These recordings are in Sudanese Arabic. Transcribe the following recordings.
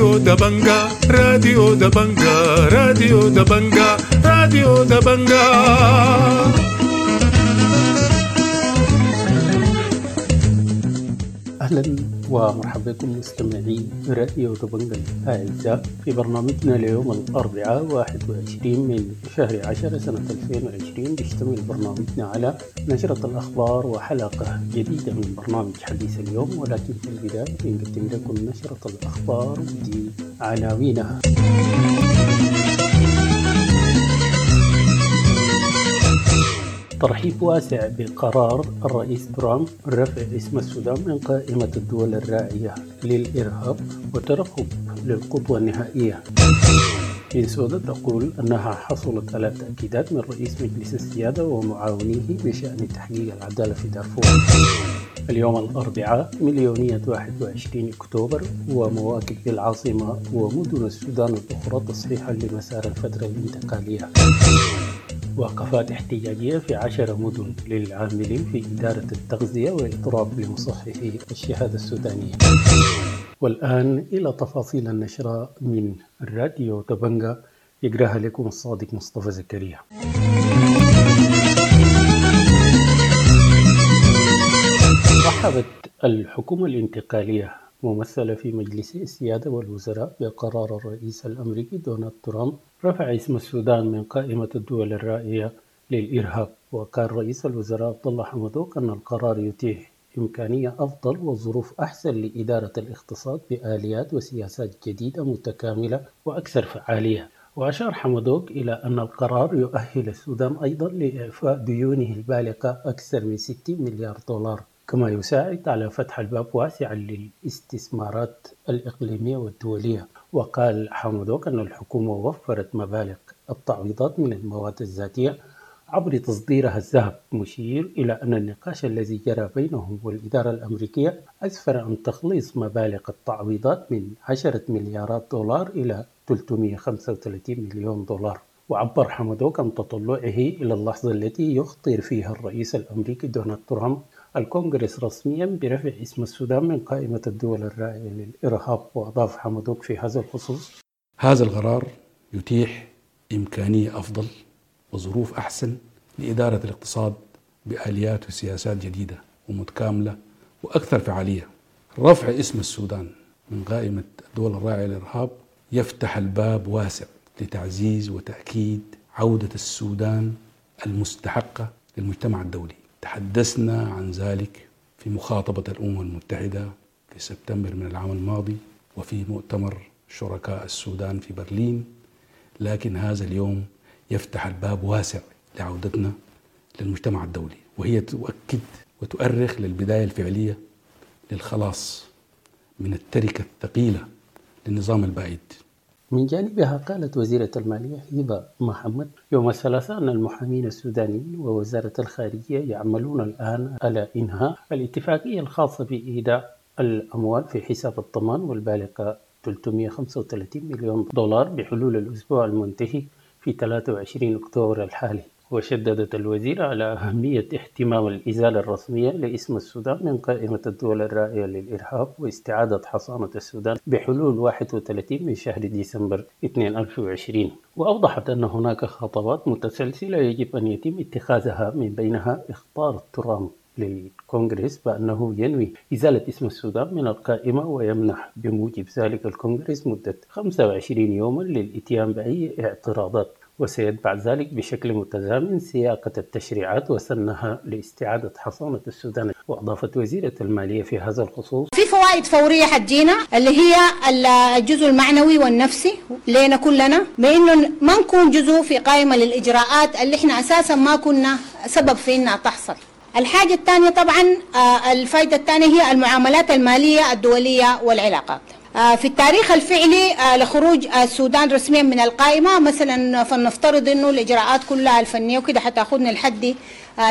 راديو دبنجا، راديو دبنجا، راديو دبنجا، راديو دبنجا. أهلا ومرحبا بكم مستمعي راديو دبنجا الأعزاء في برنامجنا ليوم الأربعاء 21 من شهر 10 سنة 2020. بيشتمل برنامجنا على نشرة الأخبار وحلقة جديدة من برنامج حديث اليوم، ولكن في البداية بنقدم لكم نشرة الأخبار ودي عناوينها. ترحيب واسع بقرار الرئيس ترامب رفع اسم السودان من قائمة الدول الراعية للإرهاب وترقب للخطوة النهائية. بنسودا تقول أنها حصلت على تأكيدات من رئيس مجلس السيادة ومعاونيه بشأن تحقيق العدالة في دارفور. اليوم الأربعاء مليونية 21 أكتوبر ومواكب بالعاصمة ومدن السودان الأخرى تصحيحا لمسار الفترة الانتقالية. وقفات احتجاجية في 10 مدن للعاملين في إدارة التغذية وإضراب لمصححي الشهادة السودانية. والآن إلى تفاصيل النشرة من الراديو دبنجا يقراها لكم الصادق مصطفى زكريا. رحبت الحكومة الانتقالية ممثلة في مجلس السيادة والوزراء بقرار الرئيس الأمريكي دونالد ترامب رفع اسم السودان من قائمة الدول الراعية للإرهاب. وقال رئيس الوزراء عبد الله حمدوك أن القرار يتيح إمكانية أفضل وظروف أحسن لإدارة الاقتصاد بآليات وسياسات جديدة متكاملة وأكثر فعالية. وأشار حمدوك إلى أن القرار يؤهل السودان أيضا لإعفاء ديونه البالغة أكثر من 60 مليار دولار، كما يساعد على فتح الباب واسعا للاستثمارات الإقليمية والدولية. وقال حمدوك أن الحكومة وفرت مبالغ التعويضات من المواد الذاتية عبر تصديرها الذهب، مشير إلى أن النقاش الذي جرى بينهم والإدارة الأمريكية أسفر عن تخليص مبالغ التعويضات من 10 مليارات دولار إلى 335 مليون دولار. وعبر حمدوك عن تطلعه إلى اللحظة التي يخطر فيها الرئيس الأمريكي دونالد ترامب الكونغرس رسميا برفع اسم السودان من قائمة الدول الراعية للإرهاب. وأضاف حمدوك في هذا الخصوص: هذا القرار يتيح إمكانية أفضل وظروف أحسن لإدارة الاقتصاد بآليات وسياسات جديدة ومتكاملة وأكثر فعالية. رفع اسم السودان من قائمة الدول الراعية للإرهاب يفتح الباب واسع لتعزيز وتأكيد عودة السودان المستحقة للمجتمع الدولي. تحدثنا عن ذلك في مخاطبة الأمم المتحدة في سبتمبر من العام الماضي وفي مؤتمر شركاء السودان في برلين، لكن هذا اليوم يفتح الباب واسع لعودتنا للمجتمع الدولي، وهي تؤكد وتؤرخ للبداية الفعلية للخلاص من التركة الثقيلة للنظام البائد. من جانبها قالت وزيرة المالية هبة محمد يوم الثلاثاء أن المحامين السودانيين ووزارة الخارجية يعملون الآن على إنهاء الاتفاقية الخاصة بإيداع الأموال في حساب الضمان والبالغة 335 مليون دولار بحلول الأسبوع المنتهي في 23 أكتوبر الحالي. وشددت الوزيرة على أهمية اهتمام الإزالة الرسمية لاسم السودان من قائمة الدول الراعية للإرهاب واستعادة حصانة السودان بحلول 31 من شهر ديسمبر 2020. وأوضحت أن هناك خطوات متسلسلة يجب أن يتم اتخاذها، من بينها إخطار ترامب للكونغرس بأنه ينوي إزالة اسم السودان من القائمة، ويمنح بموجب ذلك الكونغرس مدة 25 يوما للإتيان بأي اعتراضات، وسيتبع ذلك بشكل متزامن سياقة التشريعات وسنها لاستعادة حصانة السودان. وأضافت وزيرة المالية في هذا الخصوص: في فوائد فورية حتجينا اللي هي الجزء المعنوي والنفسي لنا كلنا، بأنه ما نكون جزء في قائمة للإجراءات اللي احنا أساسا ما كنا سبب في إنها تحصل. الحاجة الثانية طبعا الفائدة الثانية هي المعاملات المالية الدولية والعلاقات. في التاريخ الفعلي لخروج السودان رسميا من القائمة مثلا، فلنفترض انه الاجراءات كلها الفنية وكده حتاخذنا لحد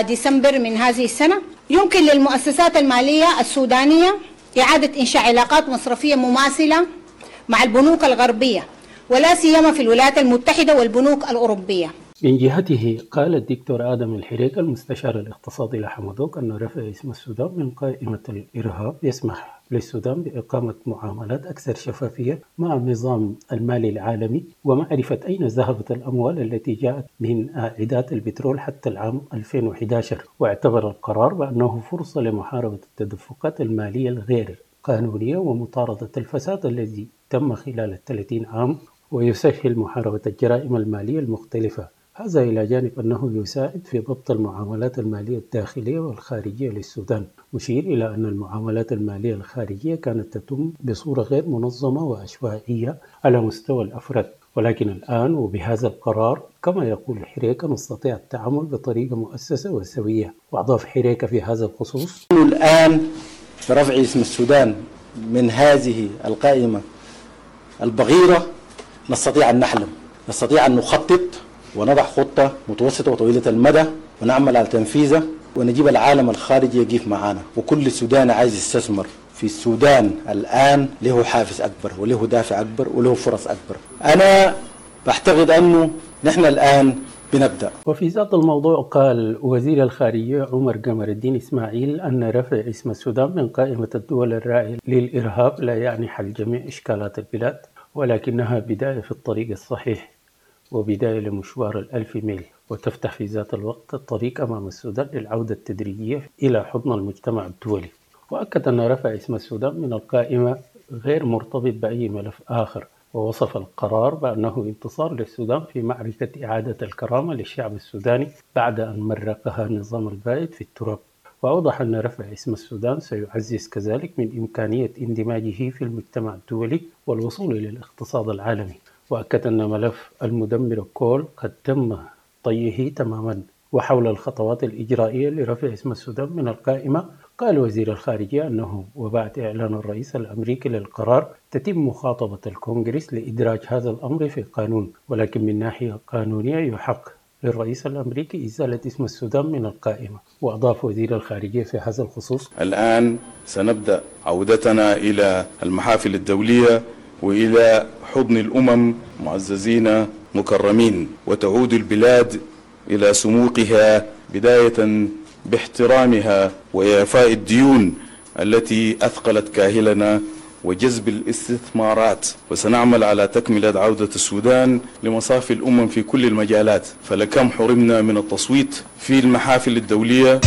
ديسمبر من هذه السنة، يمكن للمؤسسات المالية السودانية إعادة إنشاء علاقات مصرفية مماثلة مع البنوك الغربية، ولا سيما في الولايات المتحدة والبنوك الأوروبية. من جهته قال الدكتور آدم الحريك المستشار الاقتصادي لحمدوك أن رفع اسم السودان من قائمة الإرهاب يسمح للسودان بإقامة معاملات أكثر شفافية مع النظام المالي العالمي ومعرفة أين ذهبت الأموال التي جاءت من عائدات البترول حتى العام 2011. واعتبر القرار بأنه فرصة لمحاربة التدفقات المالية الغير قانونية ومطاردة الفساد الذي تم خلال 30 عام، ويسهل محاربة الجرائم المالية المختلفة. هذا إلى جانب أنه يساعد في ضبط المعاملات المالية الداخلية والخارجية للسودان، مشير إلى أن المعاملات المالية الخارجية كانت تتم بصورة غير منظمة وعشوائية على مستوى الأفراد، ولكن الآن وبهذا القرار كما يقول حريكة نستطيع التعامل بطريقة مؤسسة وسوية. وأضاف حريكة في هذا الخصوص: الآن برفع اسم السودان من هذه القائمة البغيرة نستطيع أن نحلم، نستطيع أن نخطط ونضع خطة متوسطة وطويلة المدى ونعمل على تنفيذها، ونجيب العالم الخارجي يقف معنا. وكل سوداني عايز يستثمر في السودان الآن له حافز أكبر وله دافع أكبر وله فرص أكبر. أنا بعتقد أنه نحن الآن بنبدأ. وفي ذات الموضوع قال وزير الخارجية عمر قمر الدين إسماعيل أن رفع اسم السودان من قائمة الدول الراعية للإرهاب لا يعني حل جميع إشكالات البلاد، ولكنها بداية في الطريق الصحيح وبداية لمشوار 1000 ميل، وتفتح في ذات الوقت الطريق أمام السودان للعودة التدريجية إلى حضن المجتمع الدولي. وأكد أن رفع اسم السودان من القائمة غير مرتبط بأي ملف آخر، ووصف القرار بأنه انتصار للسودان في معركة إعادة الكرامة للشعب السوداني بعد أن مرقها النظام البائد في التراب. وأوضح أن رفع اسم السودان سيعزز كذلك من إمكانية اندماجه في المجتمع الدولي والوصول إلى الاقتصاد العالمي. وأكد أن ملف المدمر كول قد تم طيه تماما. وحول الخطوات الإجرائية لرفع اسم السودان من القائمة، قال وزير الخارجية أنه وبعد إعلان الرئيس الأمريكي للقرار تتم مخاطبة الكونغرس لإدراج هذا الأمر في القانون، ولكن من ناحية قانونية يحق للرئيس الأمريكي إزالة اسم السودان من القائمة. وأضاف وزير الخارجية في هذا الخصوص: الآن سنبدأ عودتنا إلى المحافل الدولية وإلى حضن الأمم معززين مكرمين، وتعود البلاد إلى سموقها بداية باحترامها وإعفاء الديون التي أثقلت كاهلنا وجذب الاستثمارات. وسنعمل على تكملة عودة السودان لمصاف الأمم في كل المجالات، فلكم حرمنا من التصويت في المحافل الدولية.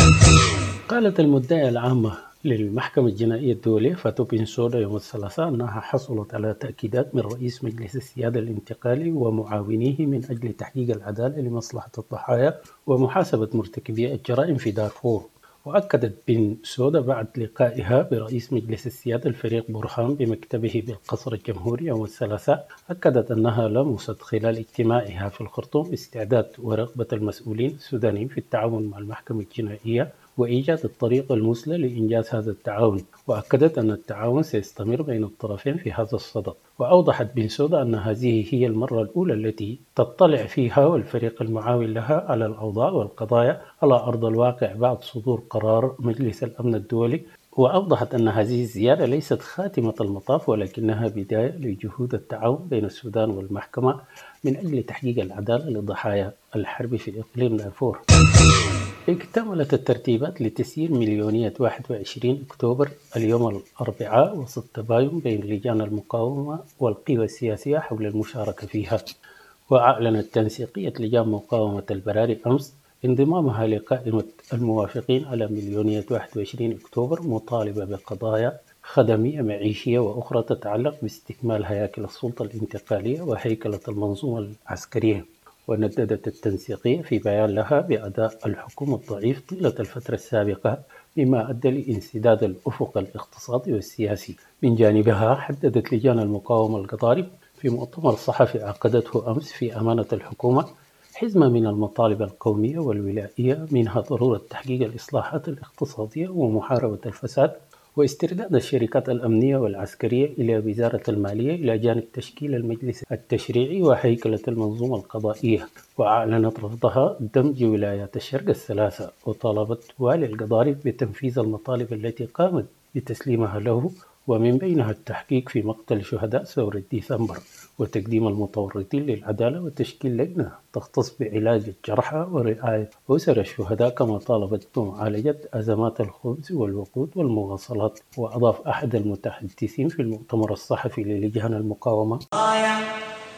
قالت المدعية العامة للمحكمة الجنائية الدولية فاتو بنسودا يوم الثلاثاء أنها حصلت على تأكيدات من رئيس مجلس السيادة الانتقالي ومعاونيه من أجل تحقيق العدالة لمصلحة الضحايا ومحاسبة مرتكبي الجرائم في دارفور. وأكدت بنسودا بعد لقائها برئيس مجلس السيادة الفريق برهان بمكتبه بالقصر الجمهوري يوم الثلاثاء، أكدت أنها لمست خلال اجتماعها في الخرطوم استعداد ورغبة المسؤولين السودانيين في التعاون مع المحكمة الجنائية وإيجاد الطريقة المثلى لإنجاز هذا التعاون. وأكدت أن التعاون سيستمر بين الطرفين في هذا الصدد. وأوضحت بنسودا أن هذه هي المرة الأولى التي تطلع فيها والفريق المعاون لها على الأوضاع والقضايا على أرض الواقع بعد صدور قرار مجلس الأمن الدولي. وأوضحت أن هذه الزيارة ليست خاتمة المطاف، ولكنها بداية لجهود التعاون بين السودان والمحكمة من أجل تحقيق العدالة لضحايا الحرب في إقليم دارفور. اكتملت الترتيبات لتسيير مليونية 21 أكتوبر اليوم الأربعاء وسط تباين بين لجان المقاومة والقوى السياسية حول المشاركة فيها. وأعلنت تنسيقية لجان مقاومة البراري أمس انضمامها لقائمة الموافقين على مليونية 21 أكتوبر، مطالبة بقضايا خدمية معيشية وأخرى تتعلق باستكمال هياكل السلطة الانتقالية وهيكلة المنظومة العسكرية. ونددت التنسيقية في بيان لها بأداء الحكومة الضعيف طيلة الفترة السابقة، مما أدى لانسداد الأفق الاقتصادي والسياسي. من جانبها حددت لجان المقاومة القطاري في مؤتمر صحفي عقدته أمس في أمانة الحكومة حزمة من المطالب القومية والولائية، منها ضرورة تحقيق الإصلاحات الاقتصادية ومحاربة الفساد واسترداد الشركات الأمنية والعسكرية إلى وزارة المالية، إلى جانب تشكيل المجلس التشريعي وهيكلة المنظومة القضائية. وأعلنت رفضها دمج ولايات الشرق الثلاثة، وطالبت والي القضارف بتنفيذ المطالب التي قامت بتسليمها له، ومن بينها التحقيق في مقتل شهداء ثورة ديسمبر. وتقديم المتورطين للعدالة وتشكيل لجنة تختص بعلاج الجرحى ورعاية أسر الشهداء، كما طالبت بمعالجة أزمات الخبز والوقود والمواصلات. وأضاف أحد المتحدثين في المؤتمر الصحفي للجان المقاومة: قضايا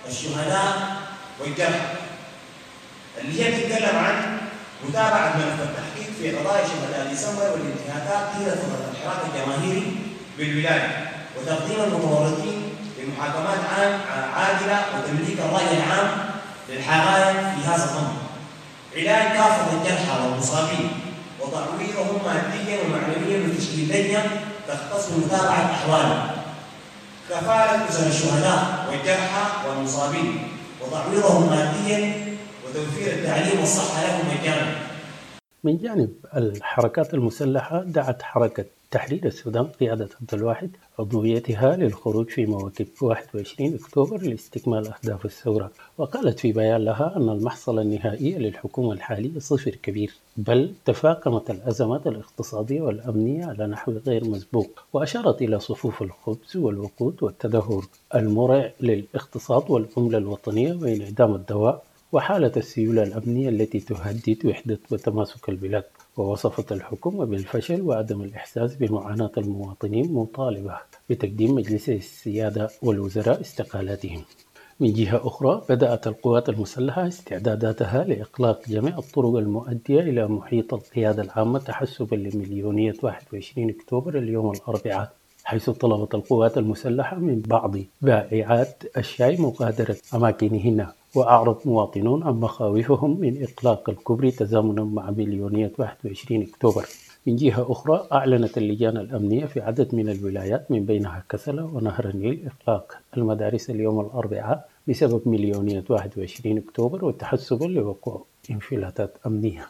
الشهداء والجرحى اللي هي بتتكلم عن متابعة ملف التحقيق في قضايا شهداء ديسمبر والانتهاكات طيلة فترة الحراك الجماهيري بالولاية، وتقديم المتورطين لمحاكمات عادلة وتمليك الرأي العام للحقائق في هذا الأمر، علاج كافة الجرحى والمصابين وتعويضهم ماديا ومعنويا وتشكيل لجنة تختص بمتابعة أحوالهم، كفالة أسر الشهداء والجرحى والمصابين وتعويضهم ماديا وتوفير التعليم والصحة لهم مجانا. من جانب الحركات المسلحة، دعت حركة تحرير السودان قيادة عبد الواحد عضويتها للخروج في مواكب 21 أكتوبر لاستكمال أهداف الثورة. وقالت في بيان لها أن المحصلة النهائية للحكومة الحالية صفر كبير، بل تفاقمت الأزمات الاقتصادية والأمنية على نحو غير مسبوق. وأشارت إلى صفوف الخبز والوقود والتدهور المرع للاقتصاد والعملة الوطنية وانعدام الدواء وحالة السيولة الأمنية التي تهدد وحدة وتماسك البلاد. ووصفت الحكومة بالفشل وعدم الإحساس بمعاناة المواطنين، مطالبة بتقديم مجلس السيادة والوزراء استقالاتهم. من جهة أخرى، بدأت القوات المسلحة استعداداتها لإغلاق جميع الطرق المؤدية إلى محيط القيادة العامة تحسبا لمليونية 21 أكتوبر اليوم الأربعاء، حيث طلبت القوات المسلحة من بعض بائعات الشاي مغادرة أماكنهن. وأعرب مواطنون عن مخاوفهم من إغلاق الكوبري تزامنا مع مليونية 21 أكتوبر. من جهة أخرى، أعلنت اللجان الأمنية في عدد من الولايات من بينها كسلا ونهر النيل إغلاق المدارس اليوم الأربعاء بسبب مليونية 21 أكتوبر وتحسبا لوقوع انفلاتات أمنية.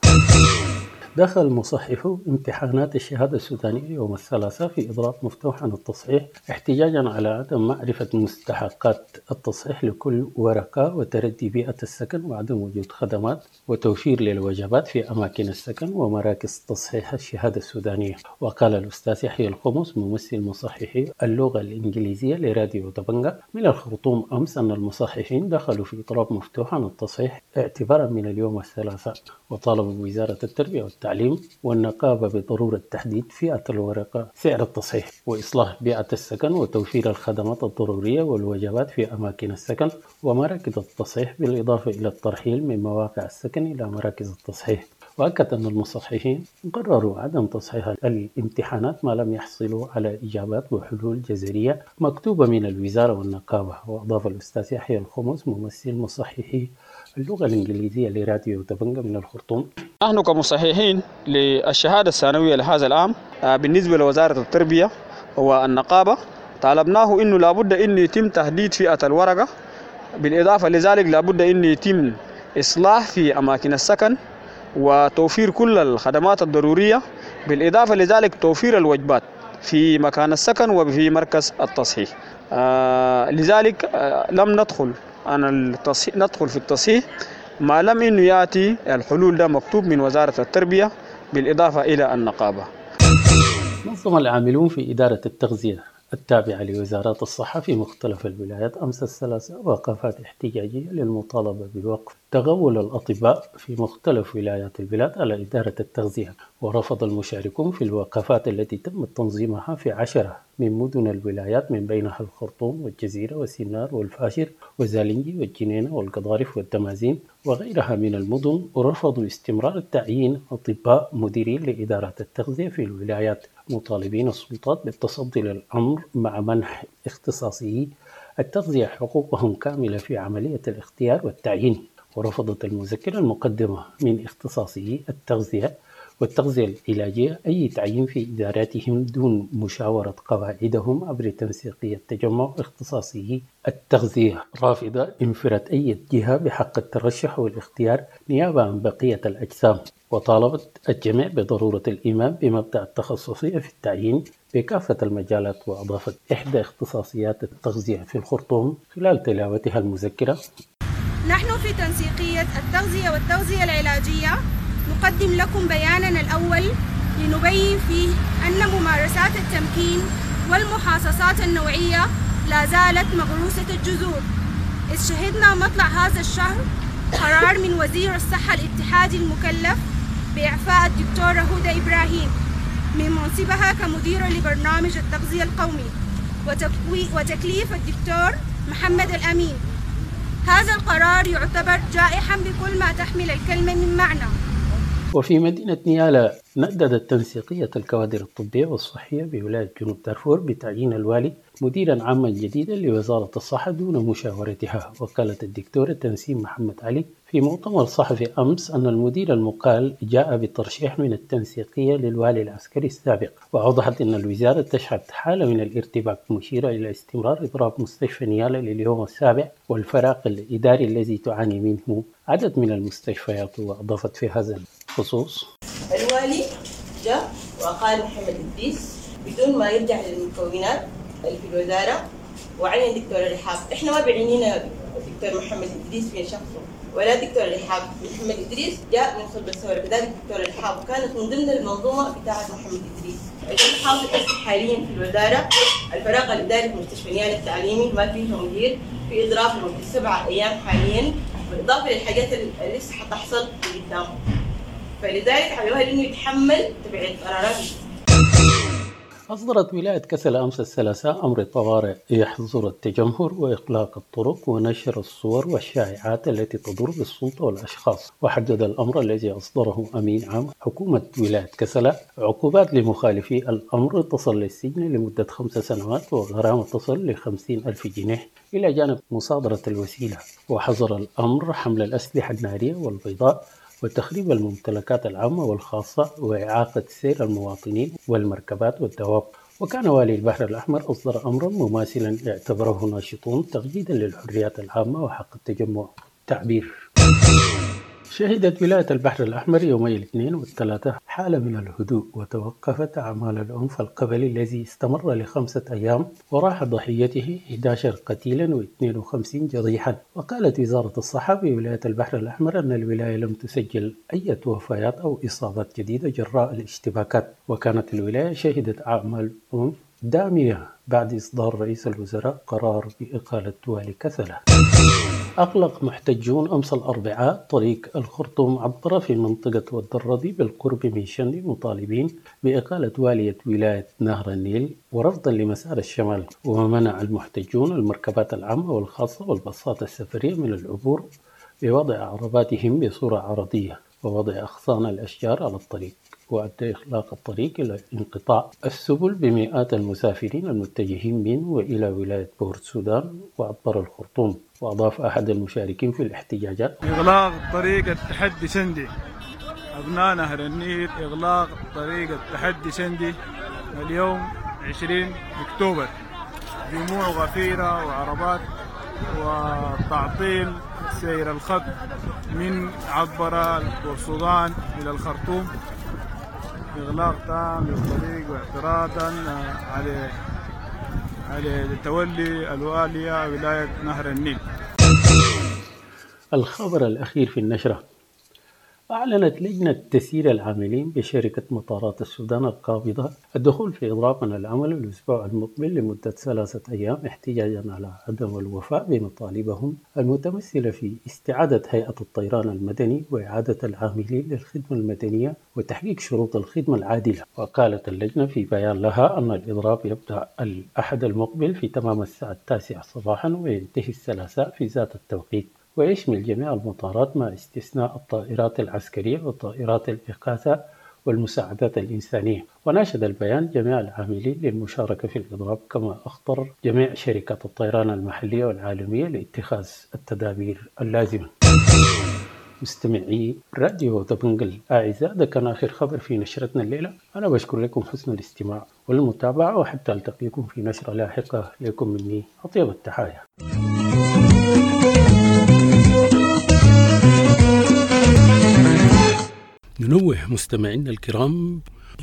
دخل مصحفو امتحانات الشهادة السودانية يوم الثلاثاء في إضراب مفتوح عن التصحيح احتجاجا على عدم معرفة مستحقات التصحيح لكل ورقة وتردي بيئة السكن وعدم وجود خدمات وتوفير للوجبات في أماكن السكن ومراكز تصحيح الشهادة السودانية. وقال الأستاذ يحيى الخمس ممثل مصححي اللغة الإنجليزية لراديو دبنجة من الخرطوم أمس أن المصححين دخلوا في إضراب مفتوح عن التصحيح اعتبارا من اليوم الثلاثاء، وطالبوا وزارة التربية والتعليم والنقابة بضرورة تحديد فئة الورقة سعر التصحيح وإصلاح بيئة السكن وتوفير الخدمات الضرورية والوجبات في أماكن السكن ومراكز التصحيح، بالإضافة إلى الترحيل من مواقع السكن إلى مراكز التصحيح. وأكد أن المصححين قرروا عدم تصحيح الامتحانات ما لم يحصلوا على إجابات وحلول جذرية مكتوبة من الوزارة والنقابة. وأضاف الأستاذ يحيى الخمس ممثل مصححي اللغة الإنجليزية لراديو دبنجة من الخرطوم: نحن كمصححين للشهادة الثانوية لهذا العام بالنسبة لوزارة التربية والنقابة طالبناه أنه لابد أن يتم تحديد فئة الورقة، بالإضافة لذلك لابد أن يتم إصلاح في أماكن السكن وتوفير كل الخدمات الضرورية، بالإضافة لذلك توفير الوجبات في مكان السكن وفي مركز التصحيح. لذلك لم ندخل عن التصحيح، ندخل في التصحيح ما لم إنه يأتي الحلول ده مكتوب من وزارة التربية بالإضافة إلى النقابة. نظم العاملون في إدارة التغذية التابعة لوزارات الصحة في مختلف الولايات أمس الثلاثاء وقفات احتجاجية للمطالبة بوقف تغول الأطباء في مختلف ولايات البلاد على إدارة التغذية. ورفض المشاركون في الوقفات التي تم تنظيمها في 10 من مدن الولايات من بينها الخرطوم والجزيرة والسنار والفاشر وزالنجي والجنينة والقضارف والدمازين وغيرها من المدن، ورفضوا استمرار تعيين أطباء مديرين لإدارات التغذية في الولايات، مطالبين السلطات بالتصدي للأمر مع منح اختصاصيي التغذية حقوقهم كاملة في عملية الاختيار والتعيين. ورفضت المذكرة المقدمة من اختصاصيي التغذية والتغذية العلاجية أي تعيين في إداراتهم دون مشاورة قواعدهم عبر تنسيقية تجمع اختصاصيي التغذية، رافضة انفراد أي جهة بحق الترشح والاختيار نيابة عن بقية الأجسام. وطالبت الجميع بضرورة الإيمان بمبدأ التخصصية في التعيين بكافة المجالات. وأضافت إحدى اختصاصيات التغذية في الخرطوم خلال تلاوتها المذكرة: نحن في تنسيقية التغذية والتغذية العلاجية نقدم لكم بياننا الأول لنبين فيه أن ممارسات التمكين والمحاصصات النوعية لا زالت مغروسة الجذور إذ شهدنا مطلع هذا الشهر قرار من وزير الصحة الاتحادي المكلف بإعفاء الدكتورة هدى إبراهيم من منصبها كمديرة لبرنامج التغذية القومي وتكليف الدكتور محمد الأمين. هذا القرار يعتبر جائحا بكل ما تحمل الكلمة من معنى. وفي مدينة نيالا نددت تنسيقية الكوادر الطبية والصحية بولاية جنوب دارفور بتعيين الوالي مديرا عاما جديدا لوزارة الصحة دون مشاورتها. وقالت الدكتورة تنسيم محمد علي في مؤتمر صحفي أمس أن المدير المقال جاء بترشيح من التنسيقية للوالي العسكري السابق، وأوضحت أن الوزارة تشهد حالة من الارتباك، مشيرة إلى استمرار إضراب مستشفى نيالا لليوم السابع والفراغ الإداري الذي تعاني منه عدد من المستشفيات. وأضافت في هذا الخصوص: الوالي جاء وقال محمد إدريس بدون ما يرجع للمكونات اللي في الوزارة وعين دكتور رحاب. احنا ما بعنينا دكتور محمد إدريس في شخصه ولا دكتور رحاب. محمد إدريس جاء من صلب الثورة، كذلك دكتور رحاب كانت من ضمن المنظومة بتاعة محمد إدريس. اللي حاصل حاليا في الوزارة الفراغ الإداري في مستشفى نيالا التعليمي، ما فيه مدير، في إضراب لمدة 7 أيام حاليا، بالإضافة للحاجات اللي لسه حتحصل قدام. فلذلك على الوالي إنه يتحمل تبعية قراراته. أصدرت ولاية كسلا أمس الثلاثاء أمر طوارئ يحظر التجمهر وإغلاق الطرق ونشر الصور والشائعات التي تضر بالسلطة والأشخاص. وحدد الأمر الذي أصدره أمين عام حكومة ولاية كسلا عقوبات لمخالفي الأمر تصل للسجن لمدة 5 سنوات وغرامة تصل ل50,000 جنيه إلى جانب مصادرة الوسيلة. وحظر الأمر حمل الأسلحة النارية والبيضاء وتخريب الممتلكات العامة والخاصة وإعاقة سير المواطنين والمركبات والدواب. وكان والي البحر الأحمر أصدر أمرا مماثلا اعتبره ناشطون تقييدا للحريات العامة وحق التجمع والتعبير. شهدت ولاية البحر الأحمر يومي الاثنين والثلاثاء حالة من الهدوء، وتوقفت أعمال العنف القبلي الذي استمر ل5 أيام وراح ضحيته 11 قتيلا و52 جريحا. وقالت وزارة الصحة بولاية البحر الأحمر أن الولاية لم تسجل أي وفيات أو إصابات جديدة جراء الاشتباكات. وكانت الولاية شهدت أعمال عنف دامية بعد إصدار رئيس الوزراء قرار بإقالة والي كسلا. أغلق محتجون أمس الأربعاء طريق الخرطوم عبر في منطقة ود الرضي بالقرب من شندي مطالبين بإقالة والية ولاية نهر النيل ورفضا لمسار الشمال. ومنع المحتجون المركبات العامة والخاصة والباصات السفرية من العبور بوضع عرباتهم بصورة عرضية ووضع أغصان الأشجار على الطريق، وأدى إغلاق الطريق إلى انقطاع السبل بمئات المسافرين المتجهين من وإلى ولاية بورت السودان وعبر الخرطوم. وأضاف أحد المشاركين في الاحتجاجات: إغلاق طريق التحدي شندي، أبناء نهر النيل، إغلاق طريق التحدي شندي اليوم 20 أكتوبر، جموع غفيرة وعربات وتعطيل سير الخط من عبر السودان إلى الخرطوم، إغلاق تام للطريق واعتراضا على تولي الوالية ولاية نهر النيل. الخبر الأخير في النشرة: أعلنت لجنة تسيير العاملين بشركة مطارات السودان القابضة الدخول في إضراب عن العمل الأسبوع المقبل لمدة 3 أيام احتجاجا على عدم الوفاء بمطالبهم المتمثلة في استعادة هيئة الطيران المدني وإعادة العاملين للخدمة المدنية وتحقيق شروط الخدمة العادلة. وقالت اللجنة في بيان لها أن الإضراب يبدأ الأحد المقبل في تمام الساعة 9 صباحا وينتهي الثلاثاء في ذات التوقيت، ويشمل جميع المطارات مع استثناء الطائرات العسكرية وطائرات الإغاثة والمساعدات الإنسانية. وناشد البيان جميع العاملين للمشاركة في الإضراب، كما أخطر جميع شركات الطيران المحلية والعالمية لاتخاذ التدابير اللازمة. مستمعي راديو دبنقا الأعزاء، ده كان آخر خبر في نشرتنا الليلة. أنا بشكر لكم حسن الاستماع والمتابعة، وحتى ألتقيكم في نشرة لاحقة. لكم مني أطيب التحايا. ننوه مستمعينا الكرام،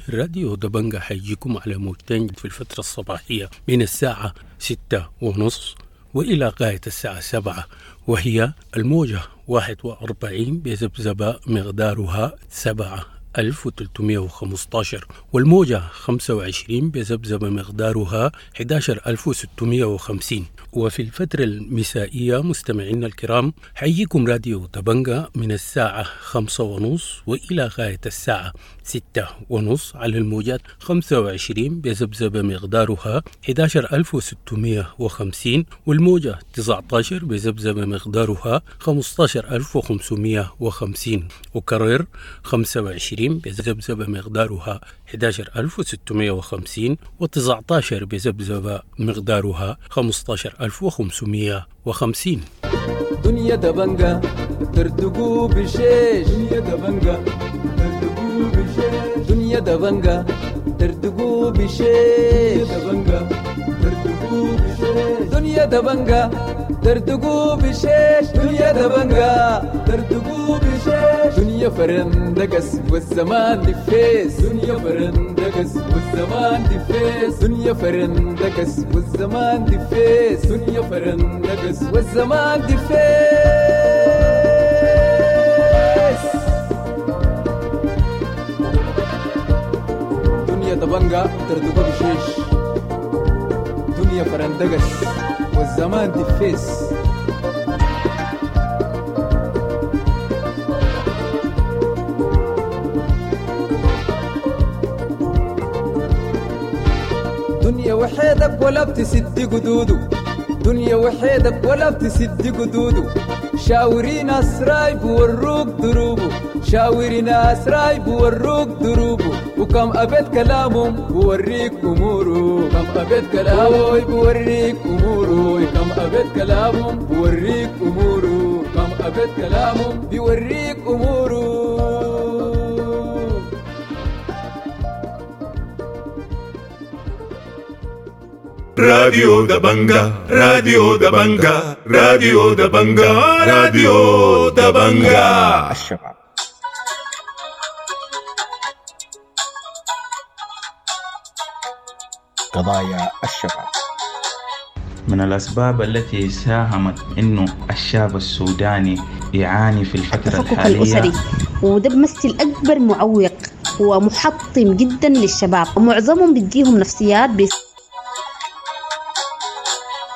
راديو دبنقا حيجيكم على موجتين في الفترة الصباحية من الساعة 6:30 وإلى غاية الساعة 7، وهي الموجة 41 بذبذبة مقدارها 7 11315، والموجة 25 بذبذبة مقدارها 11650. وفي الفترة المسائية مستمعينا الكرام حيجيكم راديو دبنجا من الساعة 5:30 وإلى غاية الساعة 6:30 على الموجات 25 بذبذبة مقدارها 11650، والموجة 19 بذبذبة مقدارها 15550، وكرر 25 بذبذبة مقدارها 11650 و19 بذبذبة مقدارها 15550. دنيا دبنجا ترتقو بشيش، دنيا دبنجا ترتقو بشيش، دنيا دبنجا ترتقو بشيش، دبنجا ترتقو بشيش، دنيا دبنجا ترتقو بشيش، دنيا دبنجا ترتقو بشيش، دنيا فرندقس والزمان دفيس، دنيا فرندقس والزمان دفيس، دنيا فرندقس والزمان دفيس، دنيا فرندقس والزمان دفيس. دنيا دبنجا ترتقو بشيش، دنيا فرندقس والزمان دفيس. دنيا وحيدك ولا بتسد قدوده، دنيا وحيدك ولا بتسد قدوده، شاوري ناس رايب وروك دروبه، شاوري ناس رايب وروك دروبه، وكم أبيت كلامهم بوريك أموره، كم أبيت كلامه بوريك أموره، كم أبيت كلامهم بوريك أموره، كم أبيت كلامهم بوريك أموره. راديو دبنجا، راديو دبنجا، راديو دبنجا، راديو دبنجا. الشباب قضايا الشباب. من الأسباب التي ساهمت إنه الشاب السوداني يعاني في الفترة الحالية الأسري، وده بمثل أكبر معوق ومحطم جدا للشباب، ومعظمهم بتجيهم نفسيات.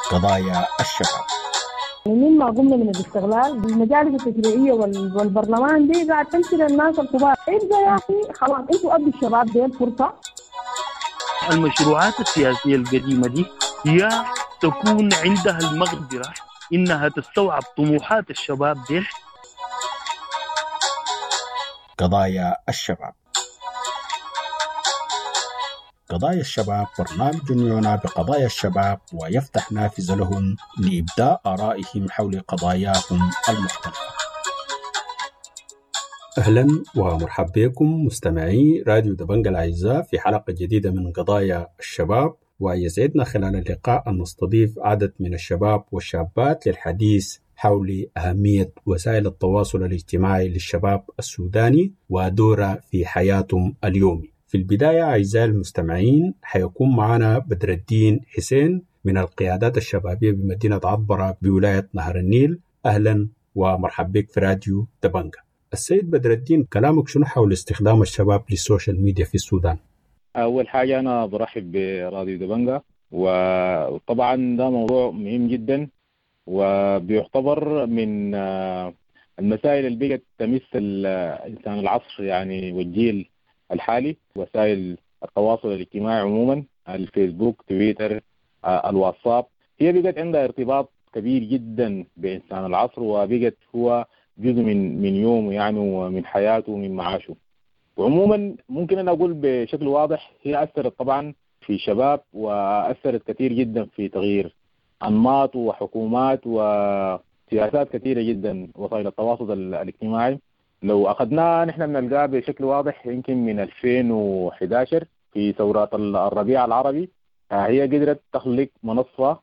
قضايا الشباب. مما قمنا من الاستغلال المجالس التشريعية والبرلمان دي قاعد تمشي للناس الكبار. ابدا يا أخي خلاص انتوا ادوا الشباب دي الفرصة. المشروعات السياسية القديمة دي يا تكون عندها المقدرة إنها تستوعب طموحات الشباب دي. قضايا الشباب. قضايا الشباب برنامج يعنى بقضايا الشباب ويفتح نافذة لهم لإبداء آرائهم حول قضاياهم المختلفة. أهلا ومرحبا بكم مستمعي راديو دبنجا الأعزاء في حلقة جديدة من قضايا الشباب، ويسعدنا خلال اللقاء أن نستضيف عدد من الشباب والشابات للحديث حول أهمية وسائل التواصل الاجتماعي للشباب السوداني ودوره في حياتهم اليومي. في البداية أعزائي المستمعين حيكون معنا بدر الدين حسين من القيادات الشبابية بمدينة عطبرة بولاية نهر النيل. أهلا ومرحبا بك في راديو دبنجا. السيد بدر الدين، كلامك شنو حول استخدام الشباب لل social media في السودان؟ أول حاجة أنا برحب براديو دبنجا، وطبعا ده موضوع مهم جدا وبيعتبر من المسائل اللي بقت تمس الإنسان العصر يعني والجيل الحالي. وسائل التواصل الاجتماعي عموما، الفيسبوك، تويتر، الواتساب، هي بقت عندها ارتباط كبير جدا بإنسان العصر، وبقت هو جزء من يومه يعني ومن حياته ومن معاشه. وعموما ممكن أن أقول بشكل واضح هي أثرت طبعا في شباب، وأثرت كثير جدا في تغيير أنماط وحكومات وسياسات كثيرة جدا وسائل التواصل الاجتماعي. لو أخذناها نحن بنلقاها بشكل واضح يمكن من 2011 في ثورات الربيع العربي، هي قدرت تخلق منصة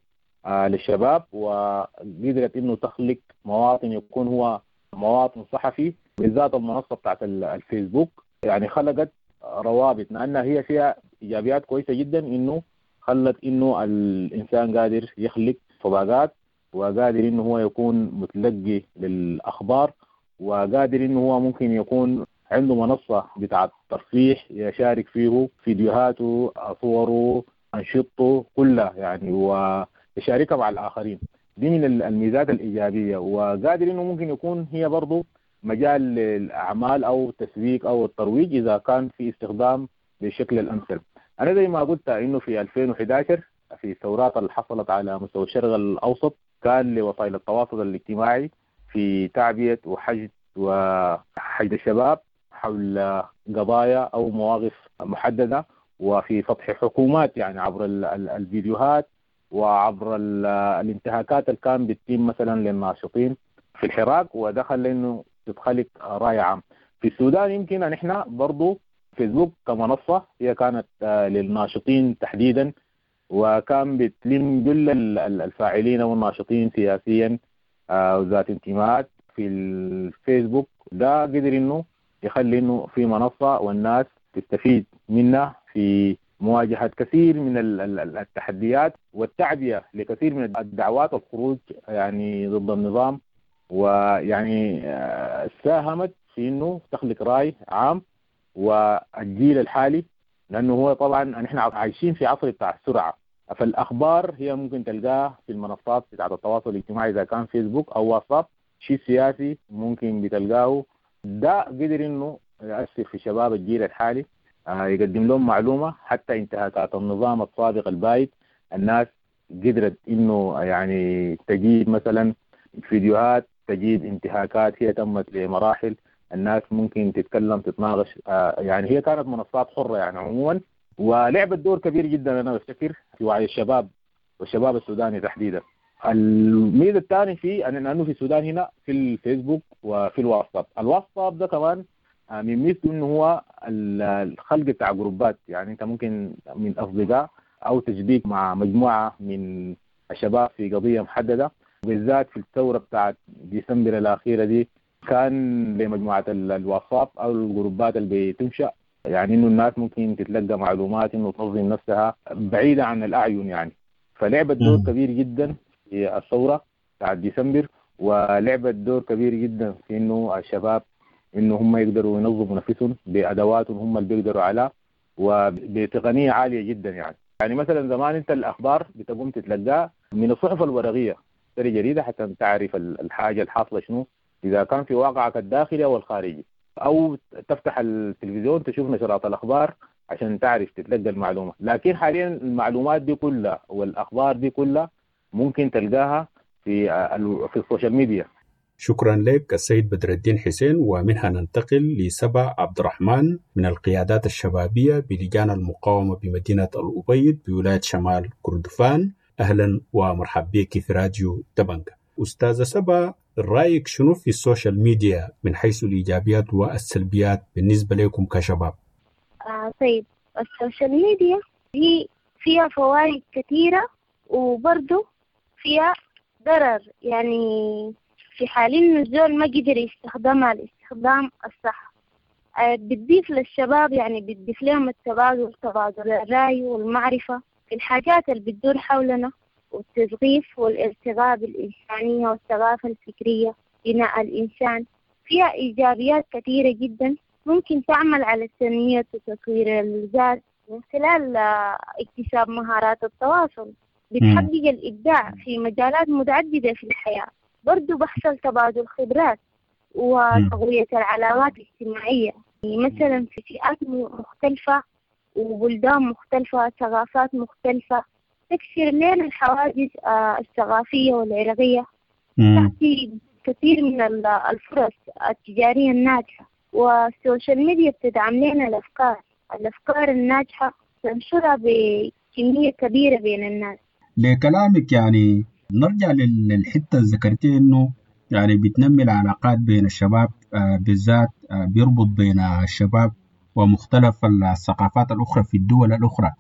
للشباب، وقدرت إنه تخلق مواطن يكون هو مواطن صحفي، بالذات المنصة بتاعت الفيسبوك. يعني خلقت روابط، لأنها هي فيها إيجابيات كويسة جدا، إنه خلت إنه الإنسان قادر يخلق صداقات، وقادر إنه هو يكون متلقي للأخبار، وقادر إنه هو ممكن يكون عنده منصة بتاعة ترفيه يشارك فيه فيديوهاته، صوره، أنشطته كلها يعني، ويشاركها مع الآخرين. دي من الميزات الإيجابية، وقادر إنه ممكن يكون هي برضو مجال للأعمال أو التسويق أو الترويج إذا كان في استخدام بالشكل الأمثل. أنا زي ما قلت إنه في 2011 في الثورات اللي حصلت على مستوى الشرق الأوسط كان لوسائل التواصل الاجتماعي في تعبئة وحشد الشباب حول قضايا أو مواقف محددة، وفي فتح حكومات يعني عبر الفيديوهات وعبر الانتهاكات اللي كان بتتم مثلا للناشطين في الحراك، ودخل لأنه تتخلق رأي عام. في السودان يمكن أن احنا برضو فيسبوك كمنصة هي كانت للناشطين تحديدا، وكان بتلم كل الفاعلين والناشطين سياسيا وذات انتماءات في الفيسبوك. ده قدر انه يخلي انه في منصة والناس تستفيد منها في مواجهة كثير من التحديات والتعبئة لكثير من الدعوات والخروج يعني ضد النظام، ويعني ساهمت في انه تخلق رأي عام. والجيل الحالي لانه هو طبعا نحن عايشين في عصر بتاع السرعة، فالاخبار هي ممكن تلقاها في المنصات بتاعت التواصل الاجتماعي اذا كان فيسبوك او واتساب، شيء سياسي ممكن بتلقاه. ده قدر انه يأثر في شباب الجيل الحالي، يقدم لهم معلومة. حتى انتهاكات النظام السابق البايد الناس قدرت انه يعني تجيب مثلا فيديوهات، تجيب انتهاكات هي تمت لمراحل، الناس ممكن تتكلم تتناقش. يعني هي كانت منصات حرة يعني عموما، ولعبت دور كبير جدا أنا بفتكر في وعي الشباب والشباب السوداني تحديدا. الميزة الثانية في أنه في السودان هنا في الفيسبوك وفي الواتساب. الواتساب ده كمان من ميزته إنه هو الخلق بتاع جروبات، يعني أنت ممكن من أصدقاء أو تشبيك مع مجموعة من الشباب في قضية محددة. بالذات في الثورة بتاعت ديسمبر الأخيرة دي كان لمجموعة الواتساب أو الجروبات اللي بتنشأ، يعني إنه الناس ممكن تتلقى معلومات إنه تنظم نفسها بعيدة عن الأعين يعني. فلعبت دور كبير جدا في الثورة بتاعت ديسمبر، ولعبت دور كبير جدا في إنه الشباب إنه هم يقدروا ينظموا نفسهم بأدواتهم هم اللي بيقدروا عليها وبتقنية عالية جدا يعني. يعني مثلا زمان أنت الأخبار بتقوم تتلقاها من الصحف الورقية، تشتري جريدة حتى تعرف الحاجة الحاصلة شنو إذا كان في واقعك الداخلي أو الخارجي، أو تفتح التلفزيون تشوف نشرات الأخبار عشان تعرف تتلقى المعلومة. لكن حاليا المعلومات دي كلها والأخبار دي كلها ممكن تلقاها في ال social media. شكرا لك السيد بدر الدين حسين. ومنها ننتقل لسبا عبد الرحمن من القيادات الشبابية بلجان المقاومة بمدينة الأبيض بولاية شمال كردفان. أهلا ومرحبا بك في راديو دبنجا. أستاذة سبا، رأيك شنو في ال social media من حيث الإيجابيات والسلبيات بالنسبة لكم كشباب؟ طيب، ال social media هي فيها فوائد كثيرة وبرضو فيها ضرر، يعني في حال إنه الزول ما قدر يستخدمها الاستخدام الصح. بتضيف للشباب، يعني بتضيف لهم التبادل، تبادل الرأي والمعرفة في الحاجات اللي بتدور حولنا، والتثقيف والارتقاء بالإنسانية والثقافة الفكرية، بناء الإنسان. فيها إيجابيات كثيرة جدا ممكن تعمل على التنمية وتطوير الذات من خلال اكتساب مهارات التواصل، بتحقق الإبداع في مجالات متعددة في الحياة. برضو بحصل تبادل خبرات وتقوية العلاقات الاجتماعية، يعني مثلا في فئات مختلفة وبلدان مختلفة، ثقافات مختلفة، تكسر لنا الحواجز الثقافية والعرقية، تعطي كثير من الفرص التجارية الناجحة. وال social media بتدعم لنا الأفكار الناجحة، تنشرها بكمية كبيرة بين الناس. لكلامك يعني نرجع للحتة اللي ذكرتي إنه يعني بتنمي العلاقات بين الشباب، بالذات بيربط بين الشباب ومختلف الثقافات الأخرى في الدول الأخرى.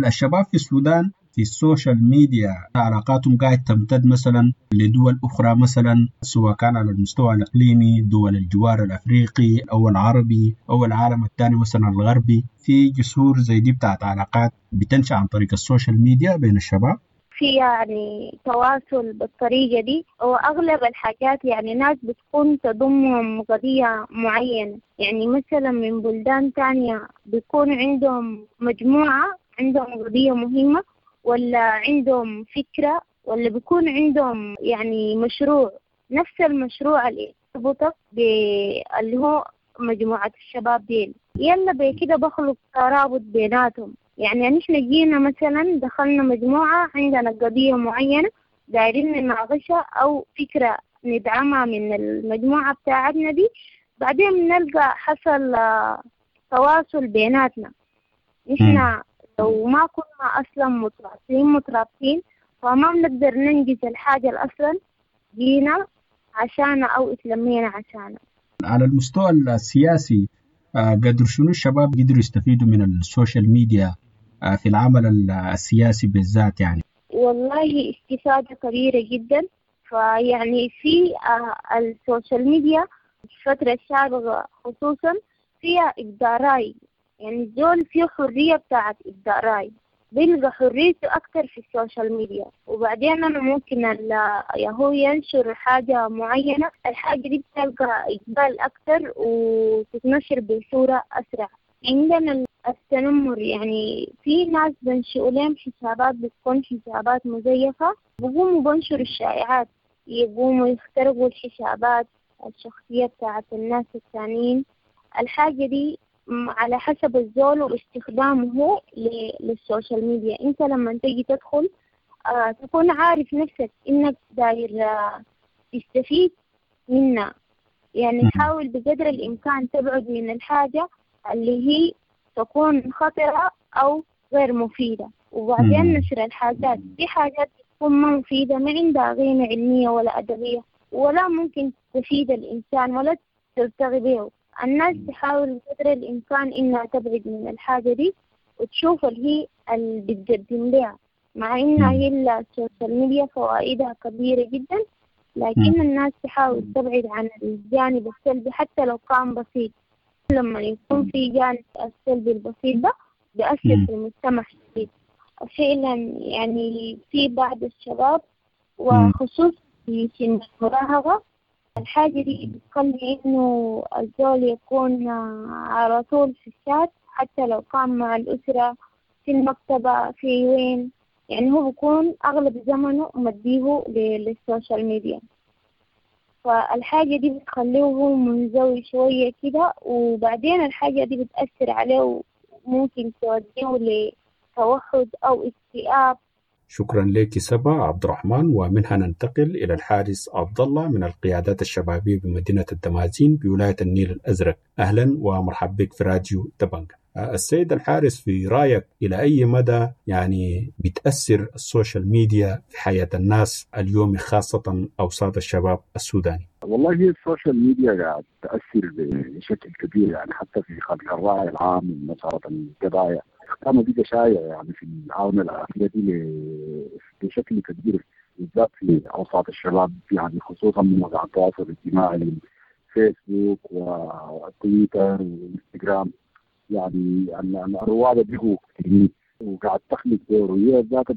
الشباب في السودان في ال social media علاقاتهم قاعد تمتد مثلا لدول أخرى، مثلا سواء كان على المستوى الإقليمي، دول الجوار الأفريقي أو العربي أو العالم الثاني مثلا الغربي، في جسور زي دي بتاعت علاقات بتنشأ عن طريق ال social media بين الشباب. في يعني تواصل بالطريقة دي، وأغلب الحاجات يعني ناس بتكون تضمهم قضية معينة. يعني مثلا من بلدان تانية بيكون عندهم مجموعة عندهم قضية مهمة، ولا عندهم فكرة، ولا بيكون عندهم يعني مشروع، نفس المشروع اللي يربطك اللي هو مجموعة الشباب ديل. يلا بكده بخلق ترابط بيناتهم. يعني نحن جينا مثلا دخلنا مجموعة عندنا قضية معينة دايرين نناقشها أو فكرة ندعمها من المجموعة بتاعتنا دي، بعدين نلقى حصل تواصل بيناتنا. نحن لو ما كنا أصلا مترابطين فما بنقدر ننجز الحاجة اللي أصلا جينا عشانها أو اتلمينا عشانها. على المستوى السياسي قدر شنو الشباب قدروا يستفيدوا من ال social media في العمل السياسي بالذات؟ يعني والله استفادة كبيرة جدا. فيعني في ال social media الفترة السابقة خصوصا فيها إبداع رأي، يعني الزول فيه حرية بتاعت إبداع رأي، بيلقى حريته أكتر في ال social media. وبعدين أنا ممكن هو ينشر حاجة معينة، الحاجة دي بتلقى إقبال أكتر وتتنشر بصورة أسرع. عندنا التنمر، يعني في ناس بنشئوا لهم حسابات بتكون حسابات مزيفة، بقوموا بنشروا الشائعات، يقوموا يخترقوا الحسابات الشخصية بتاعت الناس الثانيين. الحاجة دي على حسب الزول واستخدامه لل social media. انت لما تيجي تدخل تكون عارف نفسك انك داير تستفيد منها. يعني حاول بقدر الامكان تبعد من الحاجة اللي هي تكون خطرة او غير مفيدة. وبعدين نشر الحاجات، في حاجات تكون ما مفيدة، ما عندها قيمة علمية ولا أدبية، ولا ممكن تفيد الإنسان ولا ترتقي به. الناس تحاول بقدر الإمكان إنها تبعد من الحاجة دي وتشوف اللي هي اللي بتقدم لها، مع إنها هي ال social media فوائدها كبيرة جدا، لكن الناس تحاول تبعد عن الجانب السلبي حتى لو كان بسيط. لما يكون في جانب السلبي البسيط ده بيأثر في المجتمع شديد فعلا. يعني في بعض الشباب وخصوصا في سن المراهقة الحاجة دي بتخلي إنه الزول يكون على طول في الشات، حتى لو كان مع الأسرة في المكتبة في وين، يعني هو بيكون أغلب زمنه مديه لل social media. فالحاجة دي بتخليه هو منزوي شوية كده، وبعدين الحاجة دي بتأثر عليه وممكن توديه لتوحد أو اكتئاب. شكرا لك سبا عبد الرحمن. ومنها ننتقل إلى الحارس عبد الله من القيادات الشبابية بمدينة الدمازين بولاية النيل الأزرق. أهلا ومرحبا بك في راديو دبنجا. السيد الحارس، في رأيك إلى أي مدى يعني بتأثر ال social media في حياة الناس اليوم، خاصة أوساط الشباب السوداني؟ والله هي ال social media قاعد تأثر بشكل كبير، يعني حتى في خلق الرأي العام ومسارة القضايا. استخدامها بقى شائع يعني في الآونة الأخيرة دي بشكل كبير، بالذات في أوساط الشباب، يعني خصوصا من مواقع التواصل الاجتماعي فيسبوك وتويتر وإنستغرام. يعني الرواد بقوا كثيرين وقاعد تخلق دور، وهي ذاتها